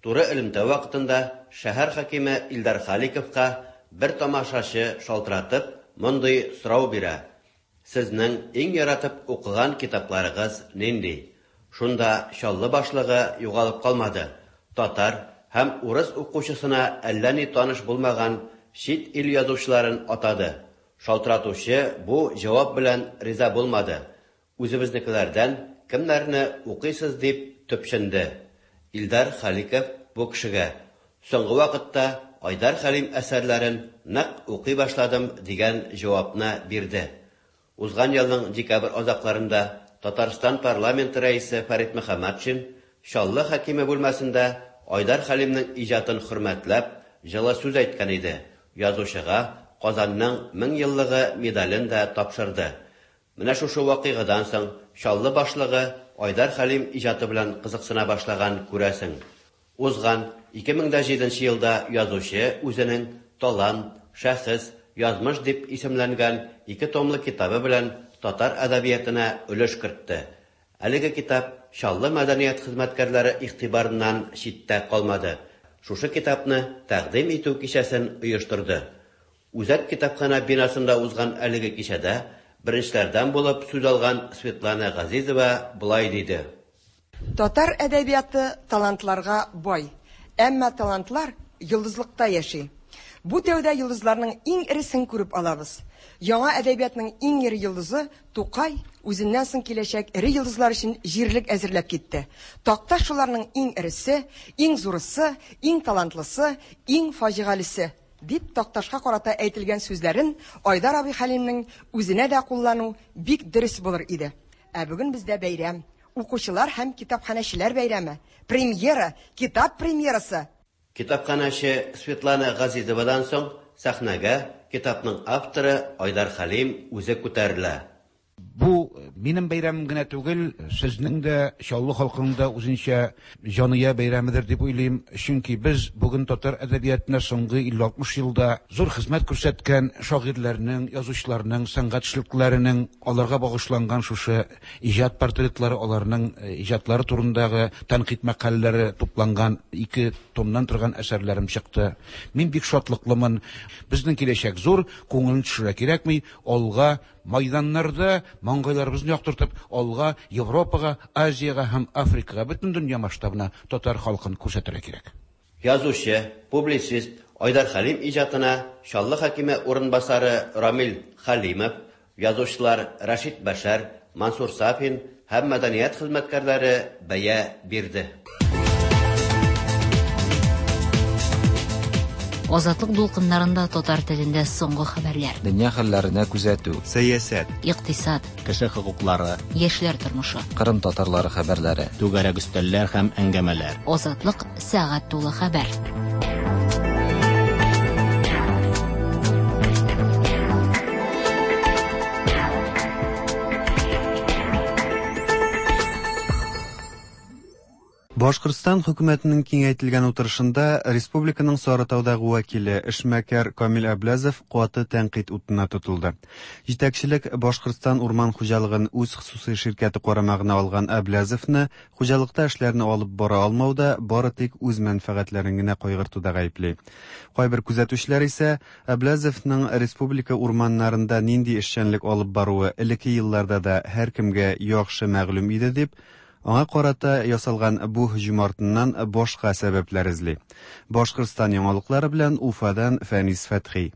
Туры элемтә вакытында шәһәр хакиме Илдар Халиковка бер тамашачы шалтыратып, мондый сорау бирә: "Сезнең иң яратып укыган китапларыгыз нинди?" Шунда Чаллы башлыгы югалып калмады. Татар һәм урыс укучысына әллә ни таныш булмаган чит ил язучыларын атады. Шалтыратучы бу җавап белән риза булмады. Үзебезнекеләрдән кемнәрне укыйсыз дип төпченде. Илдар Халиков бу кешегә: "Соңгы вакытта Айдар Хәлим әсәрләрен нык укый башладым", дигән җавапны бирде. Узган елның декабрь азакларында Татарстан парламенты рәисе Фәрит Мөхәммәтшин Чаллы хакиме бүлмәсендә Айдар Хәлимнең иҗатын хөрмәтләп, җылы сүз әйткән иде. Язучыга Казанның мең еллыгы медален дә тапшырды. Менә шушы вакыйгадан соң Чаллы башлыгы Айдар Хәлим иҗаты белән кызыксына башлаган, күрәсең. Узган ике мең дә җиденче елда язучы үзенең Талант, шәхес, язмыш дип исемләнгән ике томлы китабы белән татар әдәбиятына өлеш кертте. Әлеге китап Чаллы мәдәният хезмәткәрләре игътибарыннан читтә калмады. Шушы китапны тәкъдим итү кичәсен оештырды. Үзәк китапхана бинасында узган әлеге кичәдә беренчеләрдән булып сүз алган Светлана Газизова болай диде: Татар әдәбияты талантларга бай, әмма талантлар йолдызлыкта яши. Бу тәүдә йолдызларның иң эресен күреп алабыз. Яңа әдәбиятның иң эре йолдызы Тукай үзеннән соң киләчәк эре йолдызлар өчен җирлек әзерләп китте. Такташ шуларның иң эресе, иң зурысы, иң талантлысы, иң фаҗигалесе дип Такташка карата әйтелгән сүзләрен Айдар абый Хәлимнең үзенә дә куллану бик дөрес булыр иде. Ә бүген бездә бәйрәм, укучылар һәм китапханәчеләр бәйрәме, премьера, китап премьерасы. Китапханәче Светлана Газизовадан соң сәхнәгә китапның авторы Айдар Хәлим үзе күтәрелә. Бу минем бәйрәмем генә түгел, сезнең дә, Чаллы халкының да үзенчә җания бәйрәмедер дип уйлыйм. Чөнки без бүген татар әдәбиятына соңгы илле алтмыш елда зур хезмәт күрсәткән шагыйрьләрнең, язучыларның, сәнгать эшлеклеләренең аларга багышланган шушы иҗат портретлары, аларның иҗатлары турындагы тәнкыйть мәкаләләре тупланган ике томнан торган әсәрләрем чыкты. Мин бик шатлыклымын. Безнең киләчәк зур, күңелне төшерә кирәкми, алга майданнарда маңгайларыбызны яктыртып, алга Европага, Азиягә һәм Африкага, бөтен дөнья масштабына татар халкын күрсәтергә кирәк. Язучы, публицист Айдар Хәлим иҗатына Чаллы хакиме урынбасары Рамил Хәлимов, язучылар Рәшит Бәшәр, Мансур Сафин һәм мәдәният хезмәткәрләре бәя бирде. Азатлык дулкыннарында татар телендә соңгы хәбәрләр. Дөнья хәлләренә күзәтү. Сәясәт. Икътисад. Кеше хокуклары. Яшьләр тормышы. Кырым татарлары хәбәрләре. Түгәрәк өстәлләр һәм әңгәмәләр. Азатлык сәгать тулы хәбәр. Башкортстан хөкүмәтенең киңәйтелгән утырышында республиканың Сарытаудагы вәкиле эшмәкәр Камил Әбләзов каты тәнкыйть утына тотылды. Җитәкчелек Башкортстан урман хуҗалыгын үз хосусый ширкәте карамагына алган Әбләзовны хуҗалыкта эшләрне алып бара алмауда бары тик үз мәнфәгатьләрен генә кайгыртуда гаепли. Кайбер күзәтүчеләр исә Әбләзовның республика урманнарында нинди эшчәнлек алып баруы элекке елларда да һәркемгә яхшы мәгълүм иде дип, аңа карата ясалган бу һөҗүм артыннан башка сәбәпләр эзли. Башкортстан яңалыклары белән Уфадан Фәнис Фәтхи.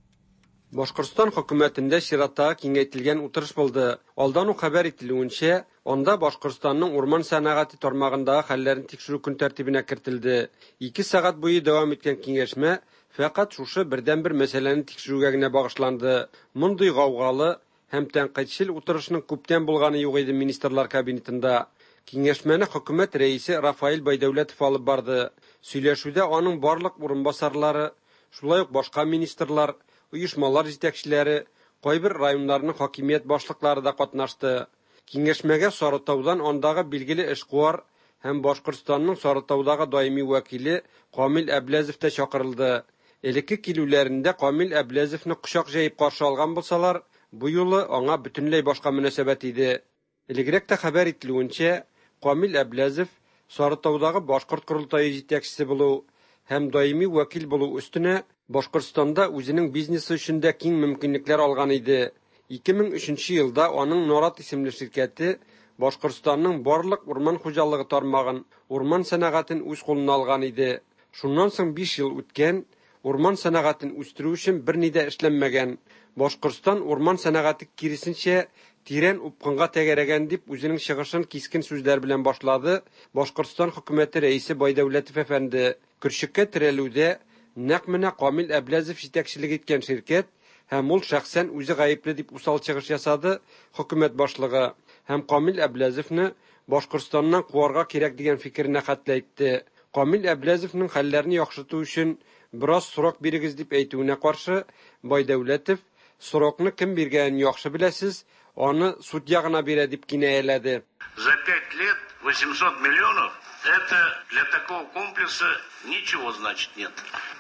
Башкортстан хөкүмәтендә чираттагы киңәйтелгән утырыш булды. Алдан ук хәбәр ителүенчә, анда Башкортстанның урман сәнәгате тармагындагы хәлләрен тикшерү көн тәртибенә кертелде. Ике сәгать буе дәвам иткән киңәшмә фәкать шушы бердәнбер мәсьәләне тикшерүгә генә багышланды. Мондый гаугалы һәм тәнкыйтьчел утырышның күптән булганы юк иде министрлар кабинетында. Киңәшмәне хөкүмәт рәисе Рафаэль Байдәүләтов алып барды. Сөйләшүдә аның барлык урынбасарлары, шулай ук башка министрлар, оешмалар җитәкчеләре, кайбер районнарның хакимият башлыклары да катнашты. Киңәшмәгә Сарытаудан андагы билгеле эшкуар һәм Башкортстанның Сарытаудагы даими вәкиле Камил Әбләзов та чакырылды. Элекке килүләрендә Камил Әбләзовны кочак җәеп каршы алган булсалар, бу юлы аңа бөтенләй башка мөнәсәбәт иде. Элегрәк тә хәбәр ителүенчә, Камил Әбләзов Сарытаудагы башкорт корылтае җитәкчесе булу һәм даими вәкил булу өстенә Башкортстанда үзенең бизнесы өчен дә киң мөмкинлекләр алган иде. ике мең өченче елда аның Нарат исемле ширкәте Башкортстанның барлык урман хуҗалыгы тармагын, урман сәнәгатен үз кулына алган иде. Шуннан соң биш ел үткән, урман сәнәгатен үстерү өчен берни дә эшләнмәгән. Башкортстан урман сәнәгате киресенчә тирән упкынга тәгәрәгән, дип үзенең чыгышын кискен сүзләр белән башлады Башкортстан хөкүмәте рәисе Байдәүләтов әфәнде. Көрчеккә терәлүдә нәкъ менә Камил Әбләзов җитәкчелек иткән ширкәт һәм ул шәхсән үзе гаепле, дип усал чыгыш ясады хөкүмәт башлыгы һәм Камил Әбләзовны Башкортстаннан куарга кирәк дигән фикеренә хәтле әйтте. Камил Әбләзовның хәлләрне яхшырту өчен бераз срок бирегез дип әйтүенә каршы Байдәүләтов срокны кем биргәнен яхшы беләсез, аны судья гына бирә, дип кинаяләде. За пять лет восемьсот миллионов это для такого комплекса ничего значит нет.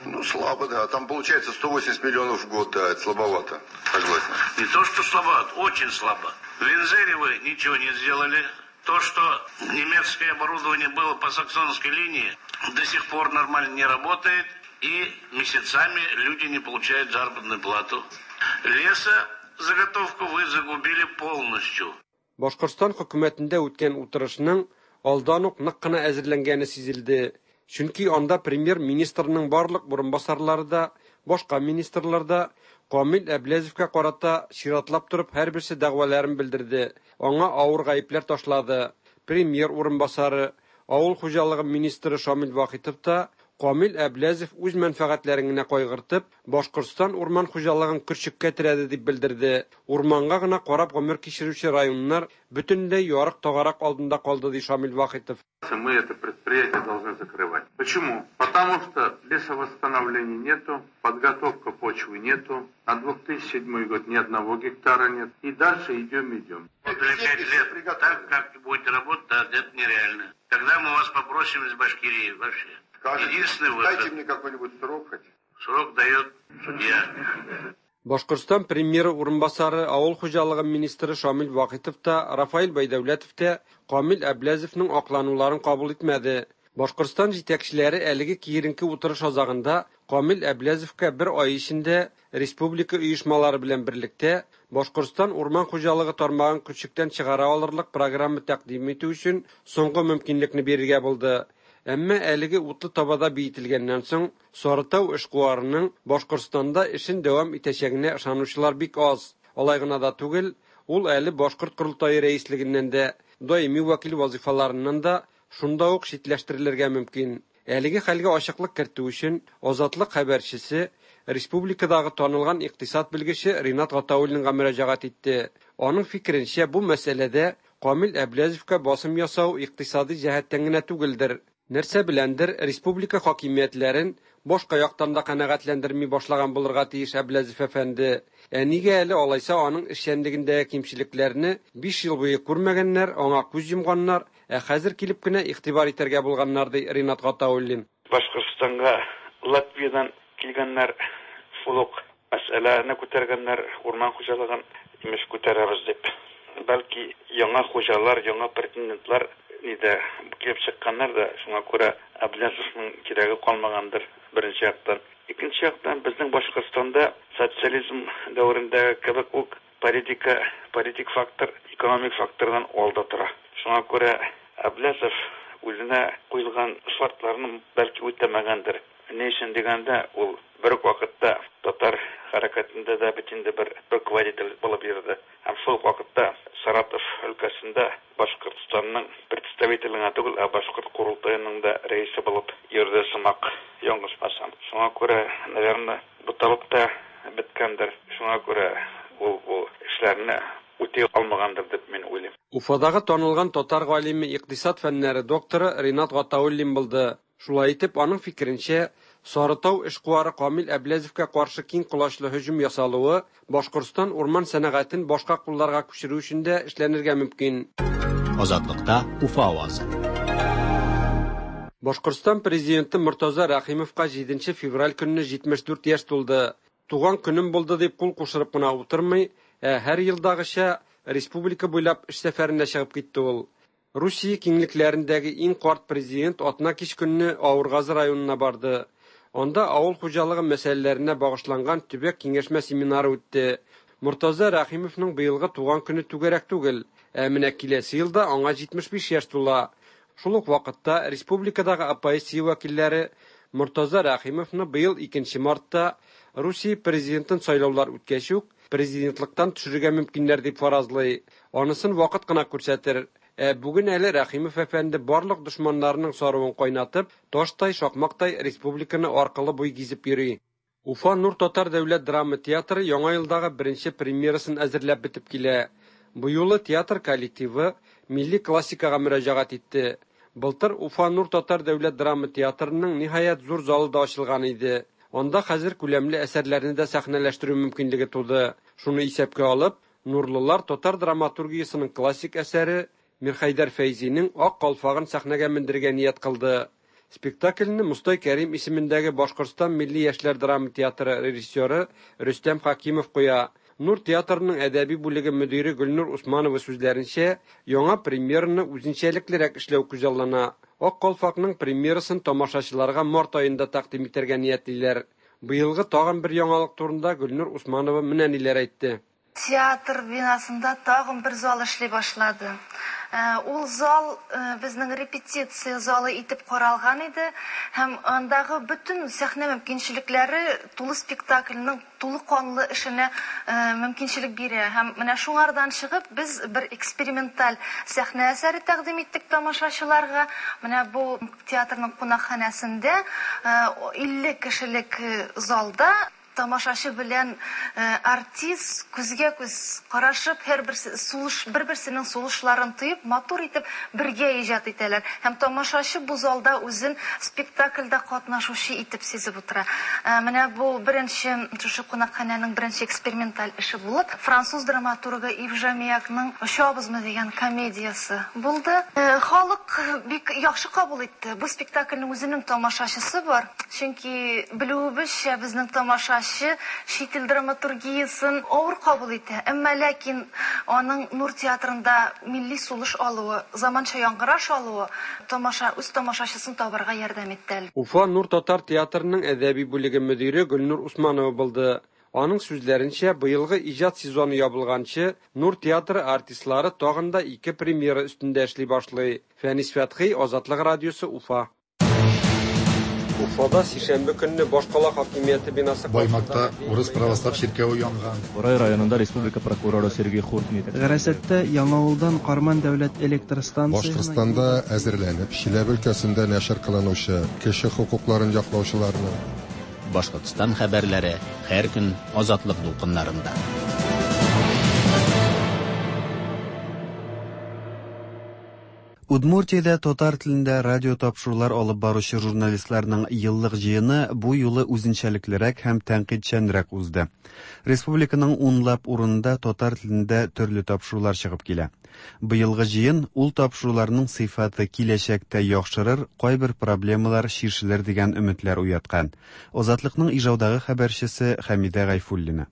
Ну, слабо, да. Там получается сто восемьдесят миллионов в год, да, это слабовато, согласен. Не то, что слабовато, очень слабо. В Инзере вы ничего не сделали. То, что немецкое оборудование было по саксонской линии, до сих пор нормально не работает, и месяцами люди не получают заработную плату. Леса заготовку вы загубили полностью. Башкортстан хөкүмәтендә үткән утырышның алдан ук нык кына әзерләнгәне сизелде. Чөнки анда премьер-министрның барлык урынбасарлары да, башка министрлар да Камил Әбләзовка карата чиратлап торып һәрберсе дәгъваларын белдерде. Аңа авыр гаепләр ташлады. Премьер урынбасары, авыл хуҗалыгы министры Шамил Вахитов та Камил Әбләзов үз мәнфәгатьләрен генә кайгыртып, Башкортстан урман хуҗалыгын көрчеккә терәде дип белдерде. Урманга гына карап гомер кичерүче районнар бөтенләй ярык тагарак алдында калды, ди Шамил Вахитов. Мы это предприятие должны закрывать. Почему? Потому что лесовосстановления нету, подготовка почвы нету, на две тысячи седьмой год ни одного гектара нет. И дальше идем, идем. Для пять лет так, как будете работать, да, это нереально. Тогда мы вас попросим из Башкирии вообще. Скажите, единственный выход. Дайте мне какой-нибудь срок хоть. Срок дает судья. Башкортстан премьеры урынбасары, авыл хуҗалыгы министры Шамил Вахитов та, Рафаил Байдәүләтов та Камил Әбләзовның аклануларын кабул итмәде. Башкортстан җитәкчеләре әлеге киеренке утырыш азагында Камил Әбләзовка бер ай эчендә республика оешмалары белән берлектә Башкортстан урман хуҗалыгы тармагын көрчектән чыгара алырлык программа тәкъдим итү өчен соңгы мөмкинлекне бирергә булды. Әмма әлеге утлы табада биетелгәннән соң Сарытау эшкуарының Башкортстанда эшен дәвам итәчәгенә ышанучылар бик аз. Алай гына да түгел, ул әле Башкорт корылтае рәислегеннән дә, даими вәкил вазифаларыннан да шунда ук читләштерелергә мөмкин. Әлеге хәлгә ачыклык кертү өчен Азатлык хәбәрчесе республикадагы танылган икътисад белгече Ринат Гатауллинга мөрәҗәгать итте. Аның фикеренчә, бу мәсьәләдә Камил Әбләзовка басым ясау икътисади җәһәттән генә түгелдер. Нәрсә беләндер республика хакимиятләрен башка яктан да канәгатьләндерми башлаган булырга тиеш Әбләзов әфәнде. Ә нигә әле алайса аның эшчәнлегендәге кимчелекләрне биш ел буе күрмәгәннәр, аңа күз йомганнар, ә хәзер килеп кенә игътибар итәргә булганнар, ди Ринат Гатауллин. Башкортстанга Латвиядан килгәннәр шул ук мәсьәләне күтәргәннәр, урман хуҗалыгын имеш күтәрәбез дип. Бәлки яңа хуҗалар, яңа претендентлар нидә килеп чыкканнар да, шуңа күрә Әбләзовның кирәге калмагандыр беренче яктан. Икенче яктан безнең Башкортстанда социализм дәверендәге кебек үк политика, политик фактор, экономик фактордан алда тора. Шуңа күрә Әбләзов үзенә куелган шартларны бәлки үтәмәгәндер. Ни өчен дигәндә, ул бер үк вакытта татар хәрәкәтендә дә бит инде бер руководитель булып йөрде. Һәм шул ук вакытта Саратов өлкәсендә Башкортстанның представителе генә түгел, ә Башкорт корылтаеның да рәисе булып йөрде сымак, ялгышмасам. Шуңа күрә, наверное, буталып та беткәндер. Шуңа күрә ул бу эшләрне үти алмагандыр дип мин уйлыйм. Уфадагы танылган татар галиме, икътисад фәннәре докторы Ринат Гатауллин булды. Шулай итеп, аның фикеренчә, Сарытау эшкуары Камил Әбләзовка каршы киң колачлы һөҗүм ясалуы Башкортстан урман сәнәгатен башка кулларга күчерү өчен дә эшләнергә мөмкин. Азатлыкта Уфа авазы. Башкортстан президенты Мортаза Рәхимовка җиденче февраль көнне җитмеш дүрт яшь тулды. Туган көнем булды дип кул кушырып кына утырмый, ә һәр елдагыча республика буйлап эш сәфәренә чыгып китте ул. Русия киңлекләрендәге иң карт президент атна кич көнне Авыргазы районына барды. Анда авыл хуҗалыгы мәсьәләләренә багышланган төбәк киңәшмә семинары үтте. Мортаза Рәхимовның быелгы туган көне түгәрәк түгел, ә менә киләсе елда аңа җитмеш биш яшь тула. Шул ук вакытта республикадагы оппозиция вәкилләре Мортаза Рәхимовны быел икенче мартта Русия президентын сайлаулар үткәч үк президентлыктан төшерергә мөмкиннәр дип фаразлый. Анысын вакыт кына күрсәтер. Ә бүген әле Рәхимов әфәнде барлык дошманнарының саруын кайнатып, таштай, шакмактай республиканы аркылы буй гизеп йөри. Уфа Нур татар дәүләт драма театры яңа елдагы беренче премьерасын әзерләп бетеп килә. Бу юлы театр коллективы милли классикага мөрәҗәгать итте. Былтыр Уфа Нур татар дәүләт драма театрының ниһаять зур залы да ачылган иде. Анда хәзер күләмле әсәрләрне дә сәхнәләштерү мөмкинлеге туды. Шуны исәпкә алып, нурлылар татар драматургиясының классик әсәре Мирхәйдәр Фәйзинең Ак калфагын сәхнәгә мендерергә ният кылды. Спектакльне Мостай Кәрим исемендәге Башкортстан милли яшьләр драма театры режиссеры Рөстәм Хакимов куя. Нур театрының әдәби бүлеге мөдире Гөлнур Усманова сүзләренчә, яңа премьераны үзенчәлеклерәк эшләү күзаллана. Ак калфакның премьерасын тамашачыларга март аенда тәкъдим итәргә ниятлиләр. Быелгы тагын бер яңалык турында Гөлнур Усманова менә ниләр әйтте. Театр бинасында тагын бер зал эшли башлады. Ул зал безнең репетиция залы итеп каралган иде һәм андагы бөтен сәхнә мөмкинчелекләре тулы спектакльнең тулы канлы эшенә мөмкинчелек бирә. Һәм менә шуңардан чыгып без бер эксперименталь сәхнә әсәре тәкъдим иттек тамашачыларга. Менә бу театрның кунакханәсендә илле кешелек залда тамашачы белән артист күзгә күз карашып, һәрберсе сулыш, бер-берсенең сулышларын тоеп, матур итеп бергә иҗат итәләр. Һәм тамашачы бу залда үзен спектакльдә катнашучы итеп сизеп утыра. Менә бу беренче шушы кунакханәнең беренче эксперименталь эше булып, француз драматургы Ив Жамиякның «Очабызмы» дигән комедиясе булды. Халык бик яхшы кабул итте. Бу спектакльнең үзенең тамашачысы бар. Чөнки белүебезчә, безнең тамашачы чит ил драматургиясын авыр кабул итә. Әмма ләкин аның Нур театрында милли сулыш алуы, заманча яңгыраш алуы тамаша үз тамашачысын табарга ярдәм итте. Уфа Нур татар театрының әдәби бүлеге мөдире Гөлнур Усманова булды. Аның сүзләренчә, быелгы иҗат сезоны ябылганчы Нур театры артистлары тагын да ике премьера өстендә эшли башлый. Фәнис Фәтхи, Азатлык радиосы, Уфа. Уфада сишәмбе көнне башкала хакимияте бинасы Баймакта урыс православ чиркәве янган. Бурай районында республика прокуроры Сергей Хуртин. Гарасәттә Яңавылдан Карман дәүләт электр станциясенә Башкортстанда әзерләнеп, Чиләбе өлкәсендә нәшер кылынучы кеше хокукларын яклаучыларны Башкортстан хәбәрләре һәр көн Азатлык дулкыннарында. Удмуртиядә татар телендә радио тапшырулар алып баручы журналистларның еллык җыены бу юлы үзенчәлеклерәк һәм тәнкыйтьчәнрәк узды. Республиканың унлап урынында татар телендә төрле тапшырулар чыгып килә. Быелгы җыен ул тапшыруларның сыйфаты киләчәктә яхшырыр, кайбер проблемалар чишелер дигән өметләр уяткан. Азатлыкның Ижаудагы хәбәрчесе Хәмидә Гайфуллина.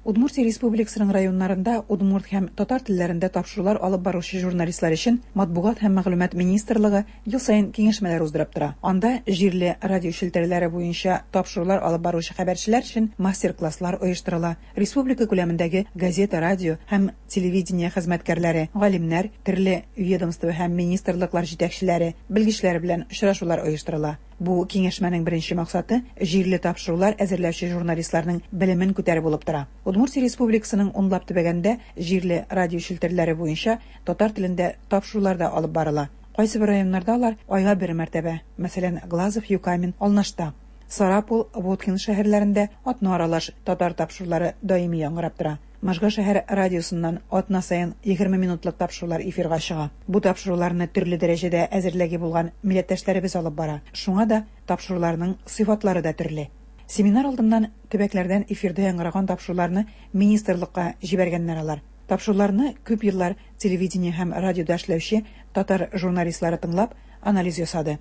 Удмуртия Республикасының районнарында удмурт һәм татар телләрендә тапшырулар алып баручы журналистлар өчен Матбугат һәм мәгълүмат министрлыгы ел саен киңәшмәләр уздырып тора. Анда җирле радио челтәрләре буенча тапшырулар алып баручы хәбәрчеләр өчен мастер-класслар оештырыла. Республика күләмендәге газета, радио һәм телевидение хезмәткәрләре, галимнәр, төрле ведомство һәм министрлыклар җитәкчеләре, белгечләр белән очрашулар оештырыла. Бу киңәшмәнең беренче максаты җирле тапшырулар әзерләүче журналистларның белемен күтәрү булып тора. Удмуртия Республикасының унлап төбәгендә җирле радио челтәрләре буенча татар телендә тапшырулар да алып барыла. Кайсы бер районнарда алар айга бер мәртәбә, мәсәлән, Глазов, Юкамин, Алнашта, Сарапул, Воткин шәһәрләрендә атна аралаш татар тапшырулары даими яңгырап тора. Можга шәһәр радиосыннан атна саен егерме минутлык тапшырулар эфирга чыга. Бу тапшыруларны төрле дәрәҗәдә әзерләге булган милләттәшләребез алып бара. Шуңа да тапшыруларның сыйфатлары да төрле. Семинар алдыннан төбәкләрдән эфирдә яңгыраган тапшыруларны министрлыкка җибәргәннәр алар. Тапшыруларны күп еллар телевидение һәм радиода эшләүче татар журналистлары тыңлап анализ ясады.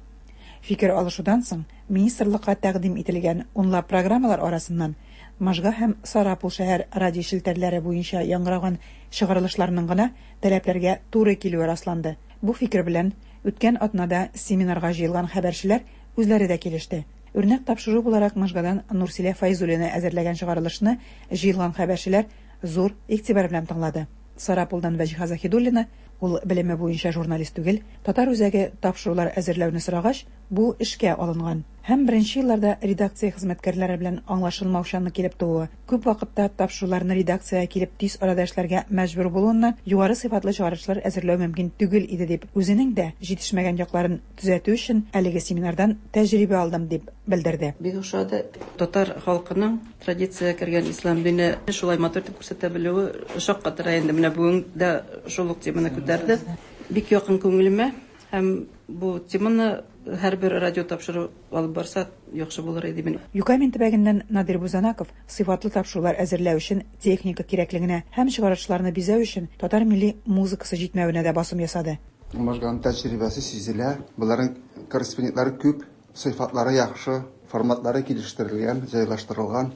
Фикер алышудан соң министрлыкка тәкъдим ителгән унлап программалар арасыннан Можга һәм Сарапул шәһәр радио челтәрләре буенча яңгыраган чыгарылышларның гына таләпләргә туры килүе расланды. Бу фикер белән үткән атнада семинарга җыелган хәбәрчеләр үзләре дә килеште. Үрнәк тапшыру буларак Можгадан Нурсилә Файзуллина әзерләгән чыгарылышны җыелган хәбәрчеләр зур игътибар белән тыңлады. Сарапулдан Вәҗиһа Заһидуллина, ул белеме буенча журналист түгел, татар үзәге тапшырулар әзерләүне сорагач, бу эшкә алынган. Һәм беренче елларда редакция хезмәткәрләре белән аңлашылмаучанлык килеп тууы, күп вакытта тапшыруларны редакциягә килеп тиз арада эшләргә мәҗбүр булуыннан югары сыйфатлы чыгарышлар әзерләү мөмкин түгел иде дип, үзенең дә җитешмәгән якларын төзәтү өчен әлеге семинардан тәҗрибә алдым дип белдерде. Бик ошады. Татар халкының традициягә кергән ислам дине шулай матур итеп күрсәтә белүе шаккатыра инде. Менә бүген дә шул ук теманы күтәрде. Бик якын күңелемә һәм бу теманы һәрбер радио тапшыру алып барса яхшы булыр иде мин. Юкамен төбәгеннән Надир Бузанаков сыйфатлы тапшырулар әзерләү өчен техника кирәклегенә һәм чыгарышларны бизәү өчен татар милли музыкасы җитмәвенә дә басым ясады. Можганың тәҗрибәсе сизелә. Буларның корреспондентлары күп, сыйфатлары яхшы, форматлары килештерелгән, җайлаштырылган.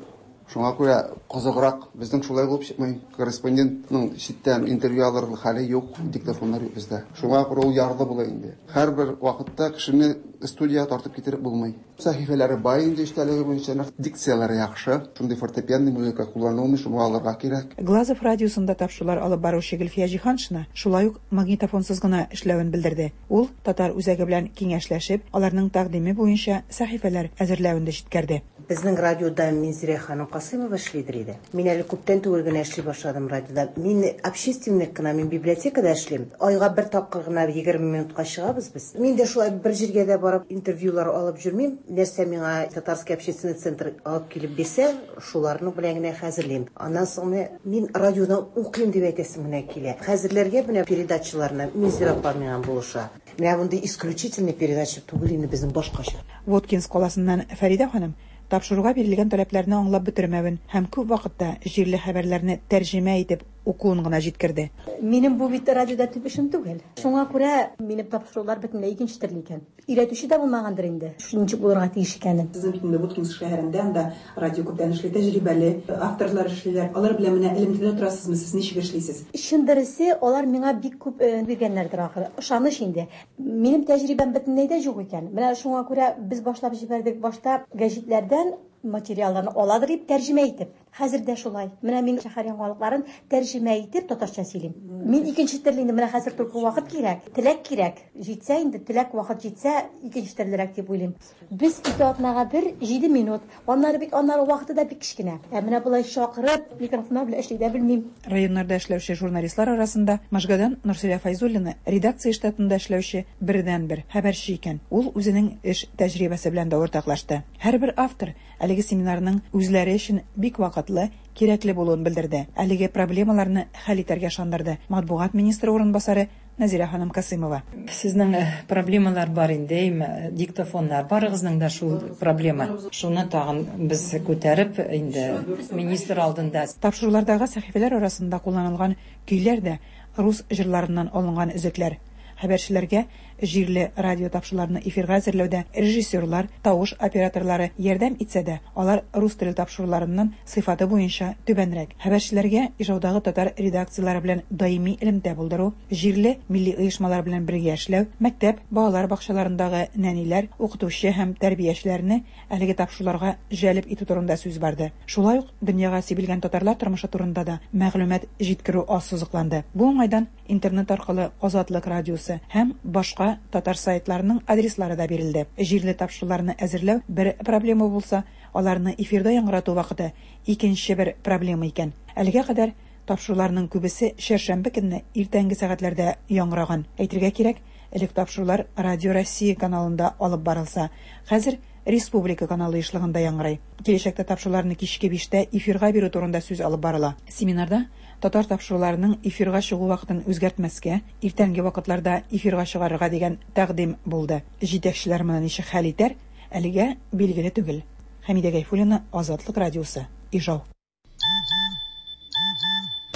Шуңа күрә кызыграк безнең шулай булып чыкмый. Корреспондентның читтән интервью алырлык хәле юк, диктофоннар юк бездә. Шуңа күрә ул ярлы була инде. Һәрбер вакытта кешене студияга тартып китереп булмый. Сәхифәләре бай инде эчтәлеге буенча, дикцияләре яхшы. Шундый фортепианный музыка кулланылмый, шуны алырга кирәк. Глазов радиосында тапшырулар алып баручы Гөлфия Җиһаншина шулай ук магнитофонсыз гына эшләвен белдерде. Ул татар үзәге белән киңәшләшеп, аларның тәкъдиме буенча сәхифәләр әзерләвен дә җиткерде. Безнең радиода Минзирә ханым Касыймова эшлидер иде. Мин әле күптән түгел генә эшли башладым радиода. Мин общественник кына, мин библиотекада эшлим. Айга бер тапкыр гына егерме минутка чыгабыз без. Мин дә шулай бер җиргә дә барып интервьюлар алып йөрмим. Нәрсә миңа Татарский общественный центр алып килеп бирсә, шуларны белән генә хәзерлим. Аннан соң мин радиодан укыйм дип әйтәсем генә килә. Хәзерләргә менә передачаларны Минзирә апа миңа булыша. Менә мондый исключительный передача түгел инде безнең башкача. Воткинск каласыннан Фәридә ханым тапшыруга бирелгән таләпләрне аңлап бетермәвен һәм күп вакытта җирле хәбәрләрне тәрҗемә итеп укуын гына җиткерде. Минем бу бит радиода төп эшем түгел. Шуңа күрә минем тапшырулар бөтенләй икенче төрле икән. Өйрәтүче дә булмагандыр инде. Ничек булырга тиеш икәнен. Сезнең бит инде Воткинск шәһәрендә анда радио күптән эшли, тәҗрибәле авторлар эшлиләр. Алар белән менә элемтәдә торасызмы? Сез ничек эшлисез? Чын дөресе, алар миңа бик күп биргәннәрдер ахыры. Ышаныч инде. Минем тәҗрибәм бөтенләй дә юк икән. Менә шуңа күрә без башлап җибәрдек башта гәҗитләрдән материалларны аладыр дип тәрҗемә итеп. Хәзер дә шулай. Менә мин шәһәр яңалыкларын тәрҗемә итеп татарча сөйлим. Мин икенче төрле инде, менә хәзер только вакыт кирәк, теләк кирәк. Җитсә инде, теләк вакыт җитсә, икенче төрлерәк дип уйлыйм. Без ике атнага бер җиде минут. Аннары бик аннары вакыты да бик кечкенә. Ә менә болай чакырып, микрофоннар белән эшли дә белмим. Районнарда эшләүче журналистлар арасында Можгадан Нурсилә Файзуллина редакция штатында эшләүче бердәнбер хәбәрче икән. Ул үзенең эш тәҗрибәсе белән дә уртаклашты. Һәрбер автор әлеге семинарның үзләре өчен бик вакытлы, кирәкле булуын белдерде. Әлеге проблемаларны хәл итәргә ышандырды матбугат министры урынбасары Назирә ханым Касыймова. Сезнең проблемалар бар инде, диктофоннар. Барыгызның да шул проблема. Шуны тагын без күтәреп инде министр алдында. Тапшырулардагы сәхифәләр арасында кулланылган көйләр дә рус җырларыннан алынган өзекләр. Хәбәрчеләргә җирле радио тапшыруларны эфирга әзерләүдә режиссерлар, тавыш операторлары ярдәм итсә дә, алар рус теле тапшыруларыннан сыйфаты буенча түбәнрәк. Хәбәрчеләргә Ижаудагы татар редакцияләре белән даими элемтә булдыру, җирле милли оешмалар белән бергә эшләү, мәктәп, балалар бакчаларындагы нәниләр, укытучы һәм тәрбиячеләрне әлеге тапшыруларга җәлеп итү турында сүз барды. Шулай ук дөньяга сибелгән татарлар тормышы турында да мәгълүмат җиткерү ассызыкланды. Бу уңайдан интернет аркылы Азатлык радиосы һәм башка татар сайтларының адреслары да бирелде. Җирле тапшыруларны әзерләү бер проблема булса, аларны эфирда яңгырату вакыты икенче бер проблема икән. Әлегә кадәр тапшыруларның күбесе чәршәмбе көнне иртәнге сәгатьләрдә яңгыраган. Әйтергә кирәк, элек тапшырулар Радио Россия каналында алып барылса, хәзер Республика каналы ишлыгында яңгырай. Киләчәктә тапшыруларны кичке биштә эфирга бирү турында сүз алып барыла. Семинарда татар тапшыруларының эфирга чыгу вакытын үзгәртмәскә, иртәнге вакытларда эфирга чыгарырга дигән тәкъдим булды. Җитәкчеләр моны ничек хәл итәр, әлегә билгеле түгел. Хәмидә Гайфуллина, Азатлык радиосы, Ижау.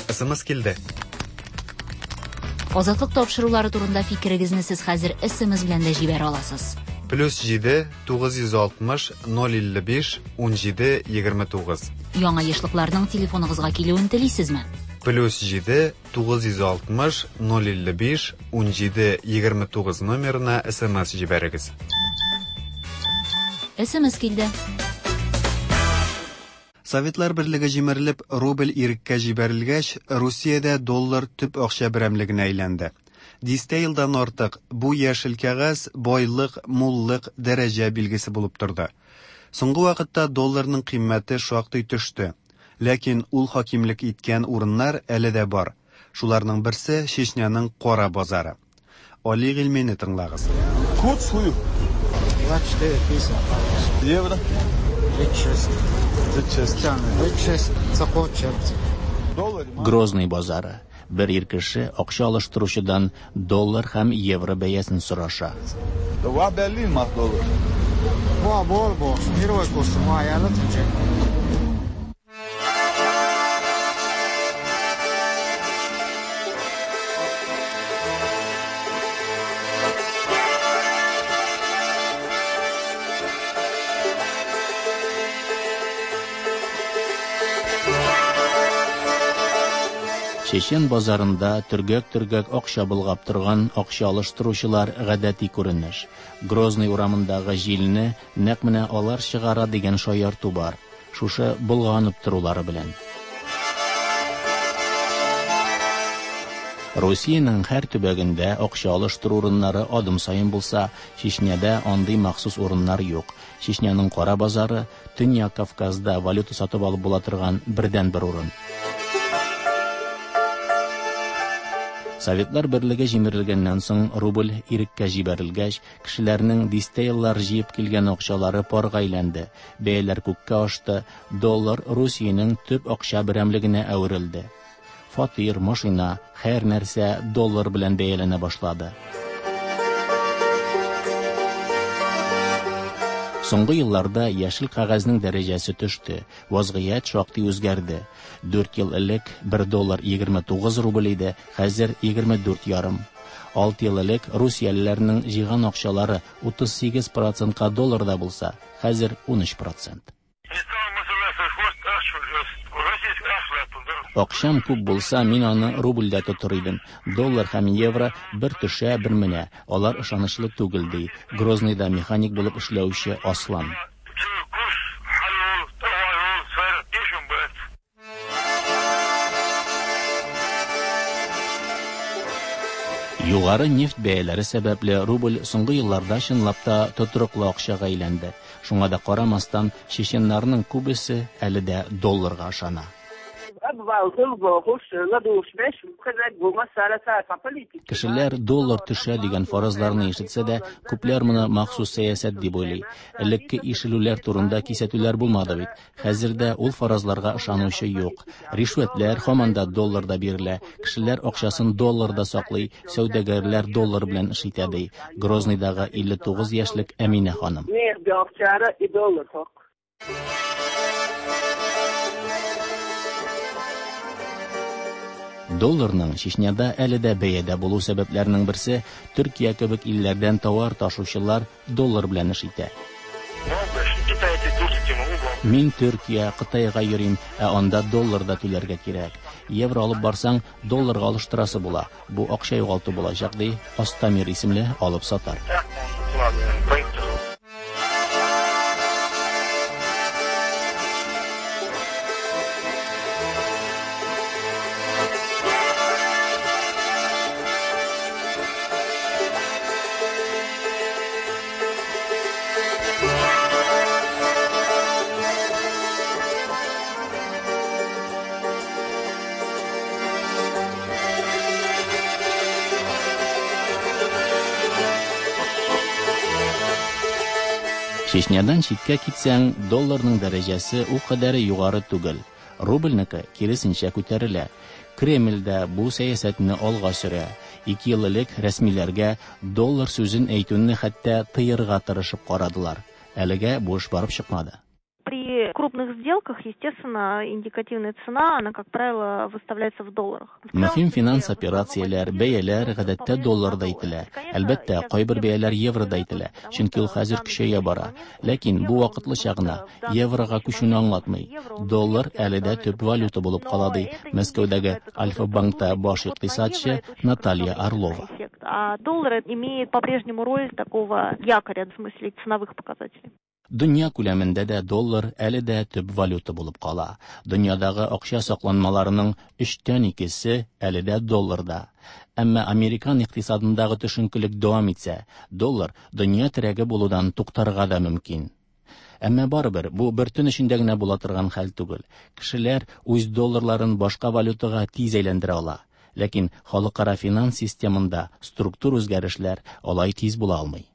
Эс эм эс килде. Азатлык тапшырулары турында фикерегезне сез хәзер эс эм эс белән дә җибәрә аласыз. Плюс җиде, тугыз йөз алтмыш, ноль илле биш, ун җиде, егерме тугыз. Яңа ешлыкларның телефоныгызга килүен телисезме? Плюс җиде тугыз йөз алтмыш ноль илле биш унҗиде егерме тугыз номерына СМС җибәрегез. СМС килде. Советлар Берлеге җимерелеп, рубль иреккә җибәрелгәч, Русиядә доллар төп акча берәмлегенә әйләнде. Дистә елдан артык бу яшел кәгазь байлык, муллык, дәрәҗә билгесе булып торды. Соңгы вакытта долларның кыйммәте шактый төште. Ләкин ул хакимлек иткән урыннар әле дә бар. Шуларның берсе Чечняның кара базары. Али Гыйльмине тыңлагыз. Курс хую. двадцать четыре пятьдесят. Евро. тридцать шесть. тридцать шесть. тридцать шесть. Грозный базары. Бер ир кеше акча алыштыручыдан доллар һәм евро бәясен сораша. Два берлин мах доллар. Ва, бор, бор. Мировой курс. Ма, я Чечен базарында төргәк-төргәк акча болгап торган акча алыштыручылар гадәти күренеш. Грозный урамындагы җилне нәкъ менә алар чыгара дигән шаярту бар. Шушы болганып торулары белән. Русиянең һәр төбәгендә акча алыштыру урыннары адым саен булса, Чечняда андый махсус урыннар юк. Чечняның кара базары Төньяк Кавказда валюта сатып алып була торган бердәнбер урын. Советлар Берлеге җимерелгәннән соң рубль иреккә җибәрелгәч, кешеләрнең дистә еллар җыеп килгән акчалары парга әйләнде. Бәяләр күккә ашты, доллар Русиянең төп акча берәмлегенә әверелде. Фатир, машина, һәр нәрсә доллар белән бәяләнә башлады. Соңгы елларда яшел кәгазьнең дәрәҗәсе төште, вазгыять шактый үзгәрде. Дүрт ел элек бер доллар егерме тугыз рубль иде, хәзер егерме дүрт ярым. Алты ел элек русиялеләрнең җыйган акчалары утыз сигез процентка долларда булса, хәзер унөч процент. Акчам күп булса, мин аны рубльдә тотыр идем. Доллар һәм евро бер төшә, бер менә. Алар ышанычлы түгел, ди Грозныйда механик булып эшләүче Аслан. Югары нефть бәяләре сәбәпле рубль соңгы елларда чынлап та тотрыклы акчага әйләнде. Шуңа да карамастан, чеченнарның күбесе әле дә долларга ышана. Кешеләр доллар төшә дигән фаразларны ишетсә дә, күпләр моны махсус сәясәт дип уйлый. Элекке ишелүләр турында кисәтүләр булмады бит. Хәзер дә ул фаразларга ышанучы юк. Ришвәтләр һаман да долларда бирелә. Кешеләр акчасын долларда саклый, сәүдәгәрләр доллар белән эш итә, ди Грозныйдагы илле тугыз яшьлек Әминә ханым. Долларның Чечняда әле дә бәядә булу сәбәпләренең берсе Төркия кебек илләрдән товар ташучылар доллар белән эш итә. Мин Төркия, Кытайга йөрим, ә анда долларда түләргә кирәк. Евро алып барсаң, долларга алыштырасы була. Бу акча югалту булачак, ди Астамир исемле алып сатар. Чечнядан читкә китсәң, долларның дәрәҗәсе ул кадәр югары түгел. Рубльнеке киресенчә күтәрелә. Кремль дә бу сәясәтне алга сөрә. Ике ел элек рәсмиләргә доллар сүзен әйтүне хәтта тыярга тырышып карадылар. Әлегә бу эш барып чыкмады. При крупных сделках, естественно, индикативная цена, она, как правило, выставляется в долларах. Мөһим финанс операцияләр, бәяләр гадәттә долларда әйтелә. Әлбәттә, кайбер бәяләр еврода әйтелә, чөнки ул хәзер көчәя бара. Ләкин бу вакытлыча гына еврога күчүне аңлатмый. Доллар әле дә төп валюта булып кала, ди Мәскәүдәге Альфа-банкта баш икътисадчы Наталья Орлова. А доллар имеет по-прежнему роль такого якоря, в смысле ценовых показателей. Дөнья күләмендә дә доллар әле дә төп валюта булып кала. Дөньядагы акча сакланмаларының өчтән икесе әле дә долларда. Әмма американ икътисадындагы төшенкелек дәвам итсә, доллар дөнья терәге булудан туктарга да мөмкин. Әмма барыбер бу бер төн эчендә генә була торган хәл түгел. Кешеләр үз долларларын башка валютага тиз әйләндерә ала. Ләкин халыкара финанс системында структур үзгәрешләр алай тиз була алмый.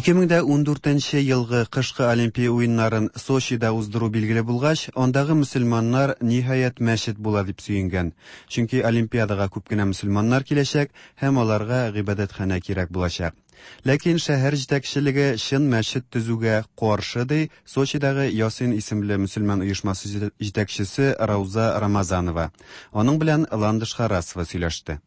ике мең дә ундүртенче елгы кышкы Олимпия уеннарын Сочида уздыру билгеле булгач, андагы мөселманнар ниһаять мәчет була дип сөенгән. Чөнки Олимпиадага күп кенә мөселманнар киләчәк һәм аларга гыйбадәтханә кирәк булачак. Ләкин шәһәр җитәкчелеге чын мәчет төзүгә каршы, ди Сочидагы Ясин исемле мөселман оешмасы җитәкчесе Рауза Рамазанова. Аның белән Ландыш Харасова сөйләште.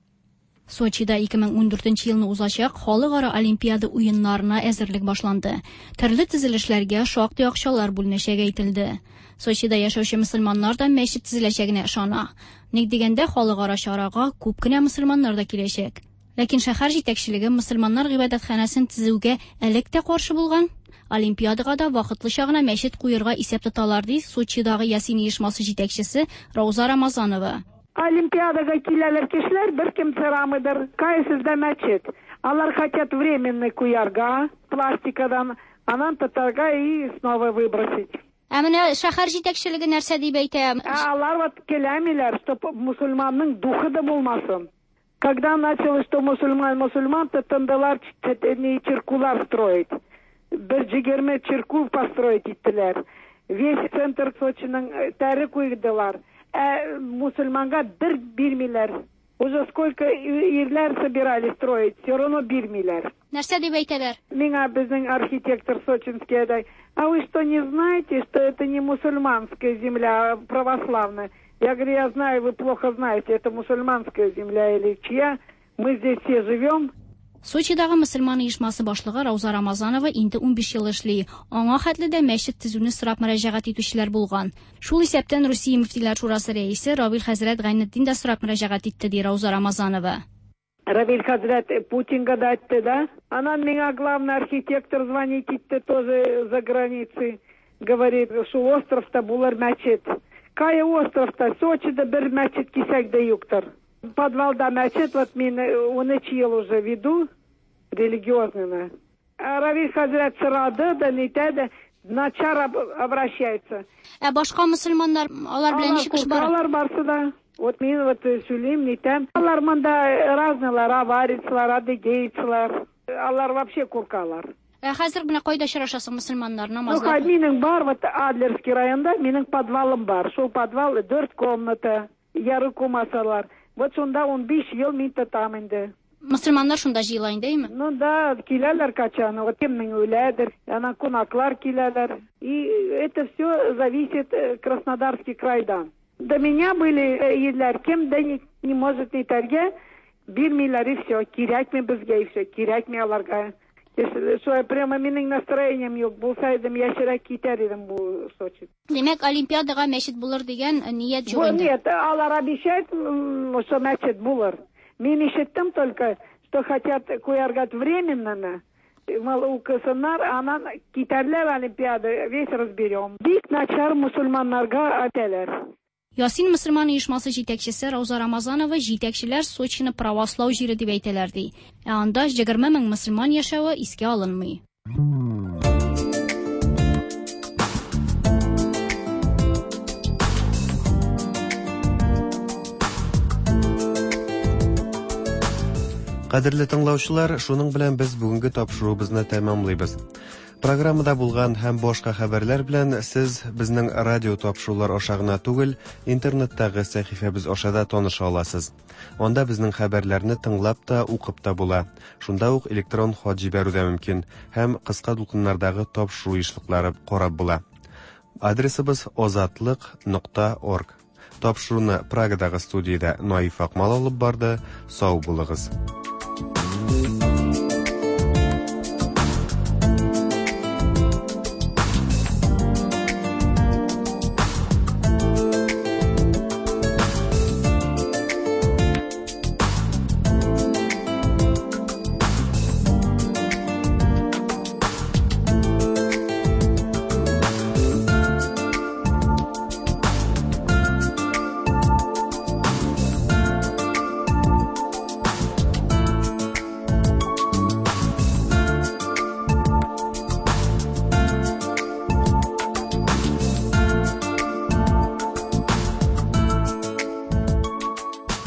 Сочида ике мең ундүртенче елны узачак халыкара Олимпиада уеннарына әзерлек башланды. Төрле төзелешләргә шактый акчалар бүленәчәге әйтелде. Сочида яшәүче мөселманнар да мәчет төзеләчәгенә ышана. Ник дигәндә, халыкара чарага күп кенә мөселманнар да киләчәк. Ләкин шәһәр җитәкчелеге мөселманнар гыйбадәтханәсен төзүгә элек тә каршы булган. Олимпиадага да вакытлыча гына мәчет куярга исәп тоталар, ди Сочидагы Ясин оешмасы җитәкчесе Рауза Рамазанова. Олимпиадага киләләр кешеләр, бер кем сорамыйдыр, кайсызда мәчет. Алар хотят временный куярга, пластикадан, анан татарга и снова выбросить. Ә менә шәһәр җитәкчелеге нәрсә дип әйтә? Алар вот келәмиләр, чтоб мусульманның духы да булмасын. Когда началось, что мусульман, мусульман, тотындылар чиркулар строить. Бер егерме чиркул построить иттеләр. Весь центр Сочиның тәре куйдылар. Ә мусульманга бер бирмиләр. Уже сколько ирләр собирали строить, все равно бирмиләр. Нәрсә дип әйтәләр? Миңа безнең архитектор сочинский әйтә: "А вы что, не знаете, что это не мусульманская земля, а православная?" Я говорю: "Я знаю, вы плохо знаете, это мусульманская земля или чья? Мы здесь все живем". Сочидагы мөселман оешмасы башлыгы Рауза Рамазанова инде унбиш ел эшли. Аңа хәтле дә мәчет төзүне сорап мөрәҗәгать итүчеләр булган. Шул исәптән Русия мөфтиләр шурасы рәисе Равил хәзрәт Гайнетдин дә сорап мөрәҗәгать итте, ди Рауза Рамазанова. Равил хәзрәт Путинга да әйтте, да? Анан миңа главный архитектор звонит итте тоже за границей. Говорит, шул островта булыр мәчет. Кая островта? Сочида бер мәчет кисәк дә юктыр. Подвалда мәчет, вот мин унөч ел уже веду, религиозный. Равиль хәзрәт сорады да, нитә дә, начар обращается. Ә башка мөселманнар, алар белән ничек эш бара? Алар барсы да. Вот мин вот сөйлим, нитәм. Алар монда разныйлар, аварицлар, адыгейцлар. Алар вообще куркалар. Ә хәзер менә кайда очрашасың мөселманнар намазлар? Ну, минем бар, вот Адлерский районда минем подвалым бар. Шул подвал дүрт комната, яры кумасалар. Вот шунда унбиш ел мин тотам инде. Мөселманнар шунда җыела инде, әйме? Ну да, киләләр качан, вот кемнең үләдер, анан кунаклар киләләр. И это все зависит Краснодарский крайдан. До меня были ирләр, кем дә не, не может нитәргә, бирмиләр и все, кирәкме безгә и все, кирәкме аларга. Шулай прямо минем настроением юк, булса идем, яшерәк китәр идем бу Сочи. Димәк, Олимпиадага мәчет булыр дигән ният юк инде. Нет, алар обещают, что мәчет булыр. Мин ишеттем только, что хотят куяргать временно, мал укысыннар, анан китәрләр Олимпиада, весь разберем. Бик начар мусульманнарга әйтәләр. Ясин мөселман оешмасы җитәкчесе Рауза Рамазанова җитәкчеләр Сочины правослау җире дип әйтәләр ди. Ә анда егерме мең мөселман яшәве искә алынмый. Кадерле тыңлаучылар, шуның белән без бүгенге тапшыруыбызны тәмамлыйбыз. Программада булган һәм башка хәбәрләр белән сез безнең радио тапшырулар аша гына түгел, интернеттагы сәхифәбез аша да таныша аласыз. Анда безнең хәбәрләрне тыңлап та, укып та була. Шунда ук электрон хат җибәрү дә мөмкин һәм кыска дулкыннардагы тапшыру ешлыклары карап була. Адресыбыз озатлык нокта орг. Тапшыруны Прагадагы студиядә Наиф Акмал алып барды. Сау булыгыз.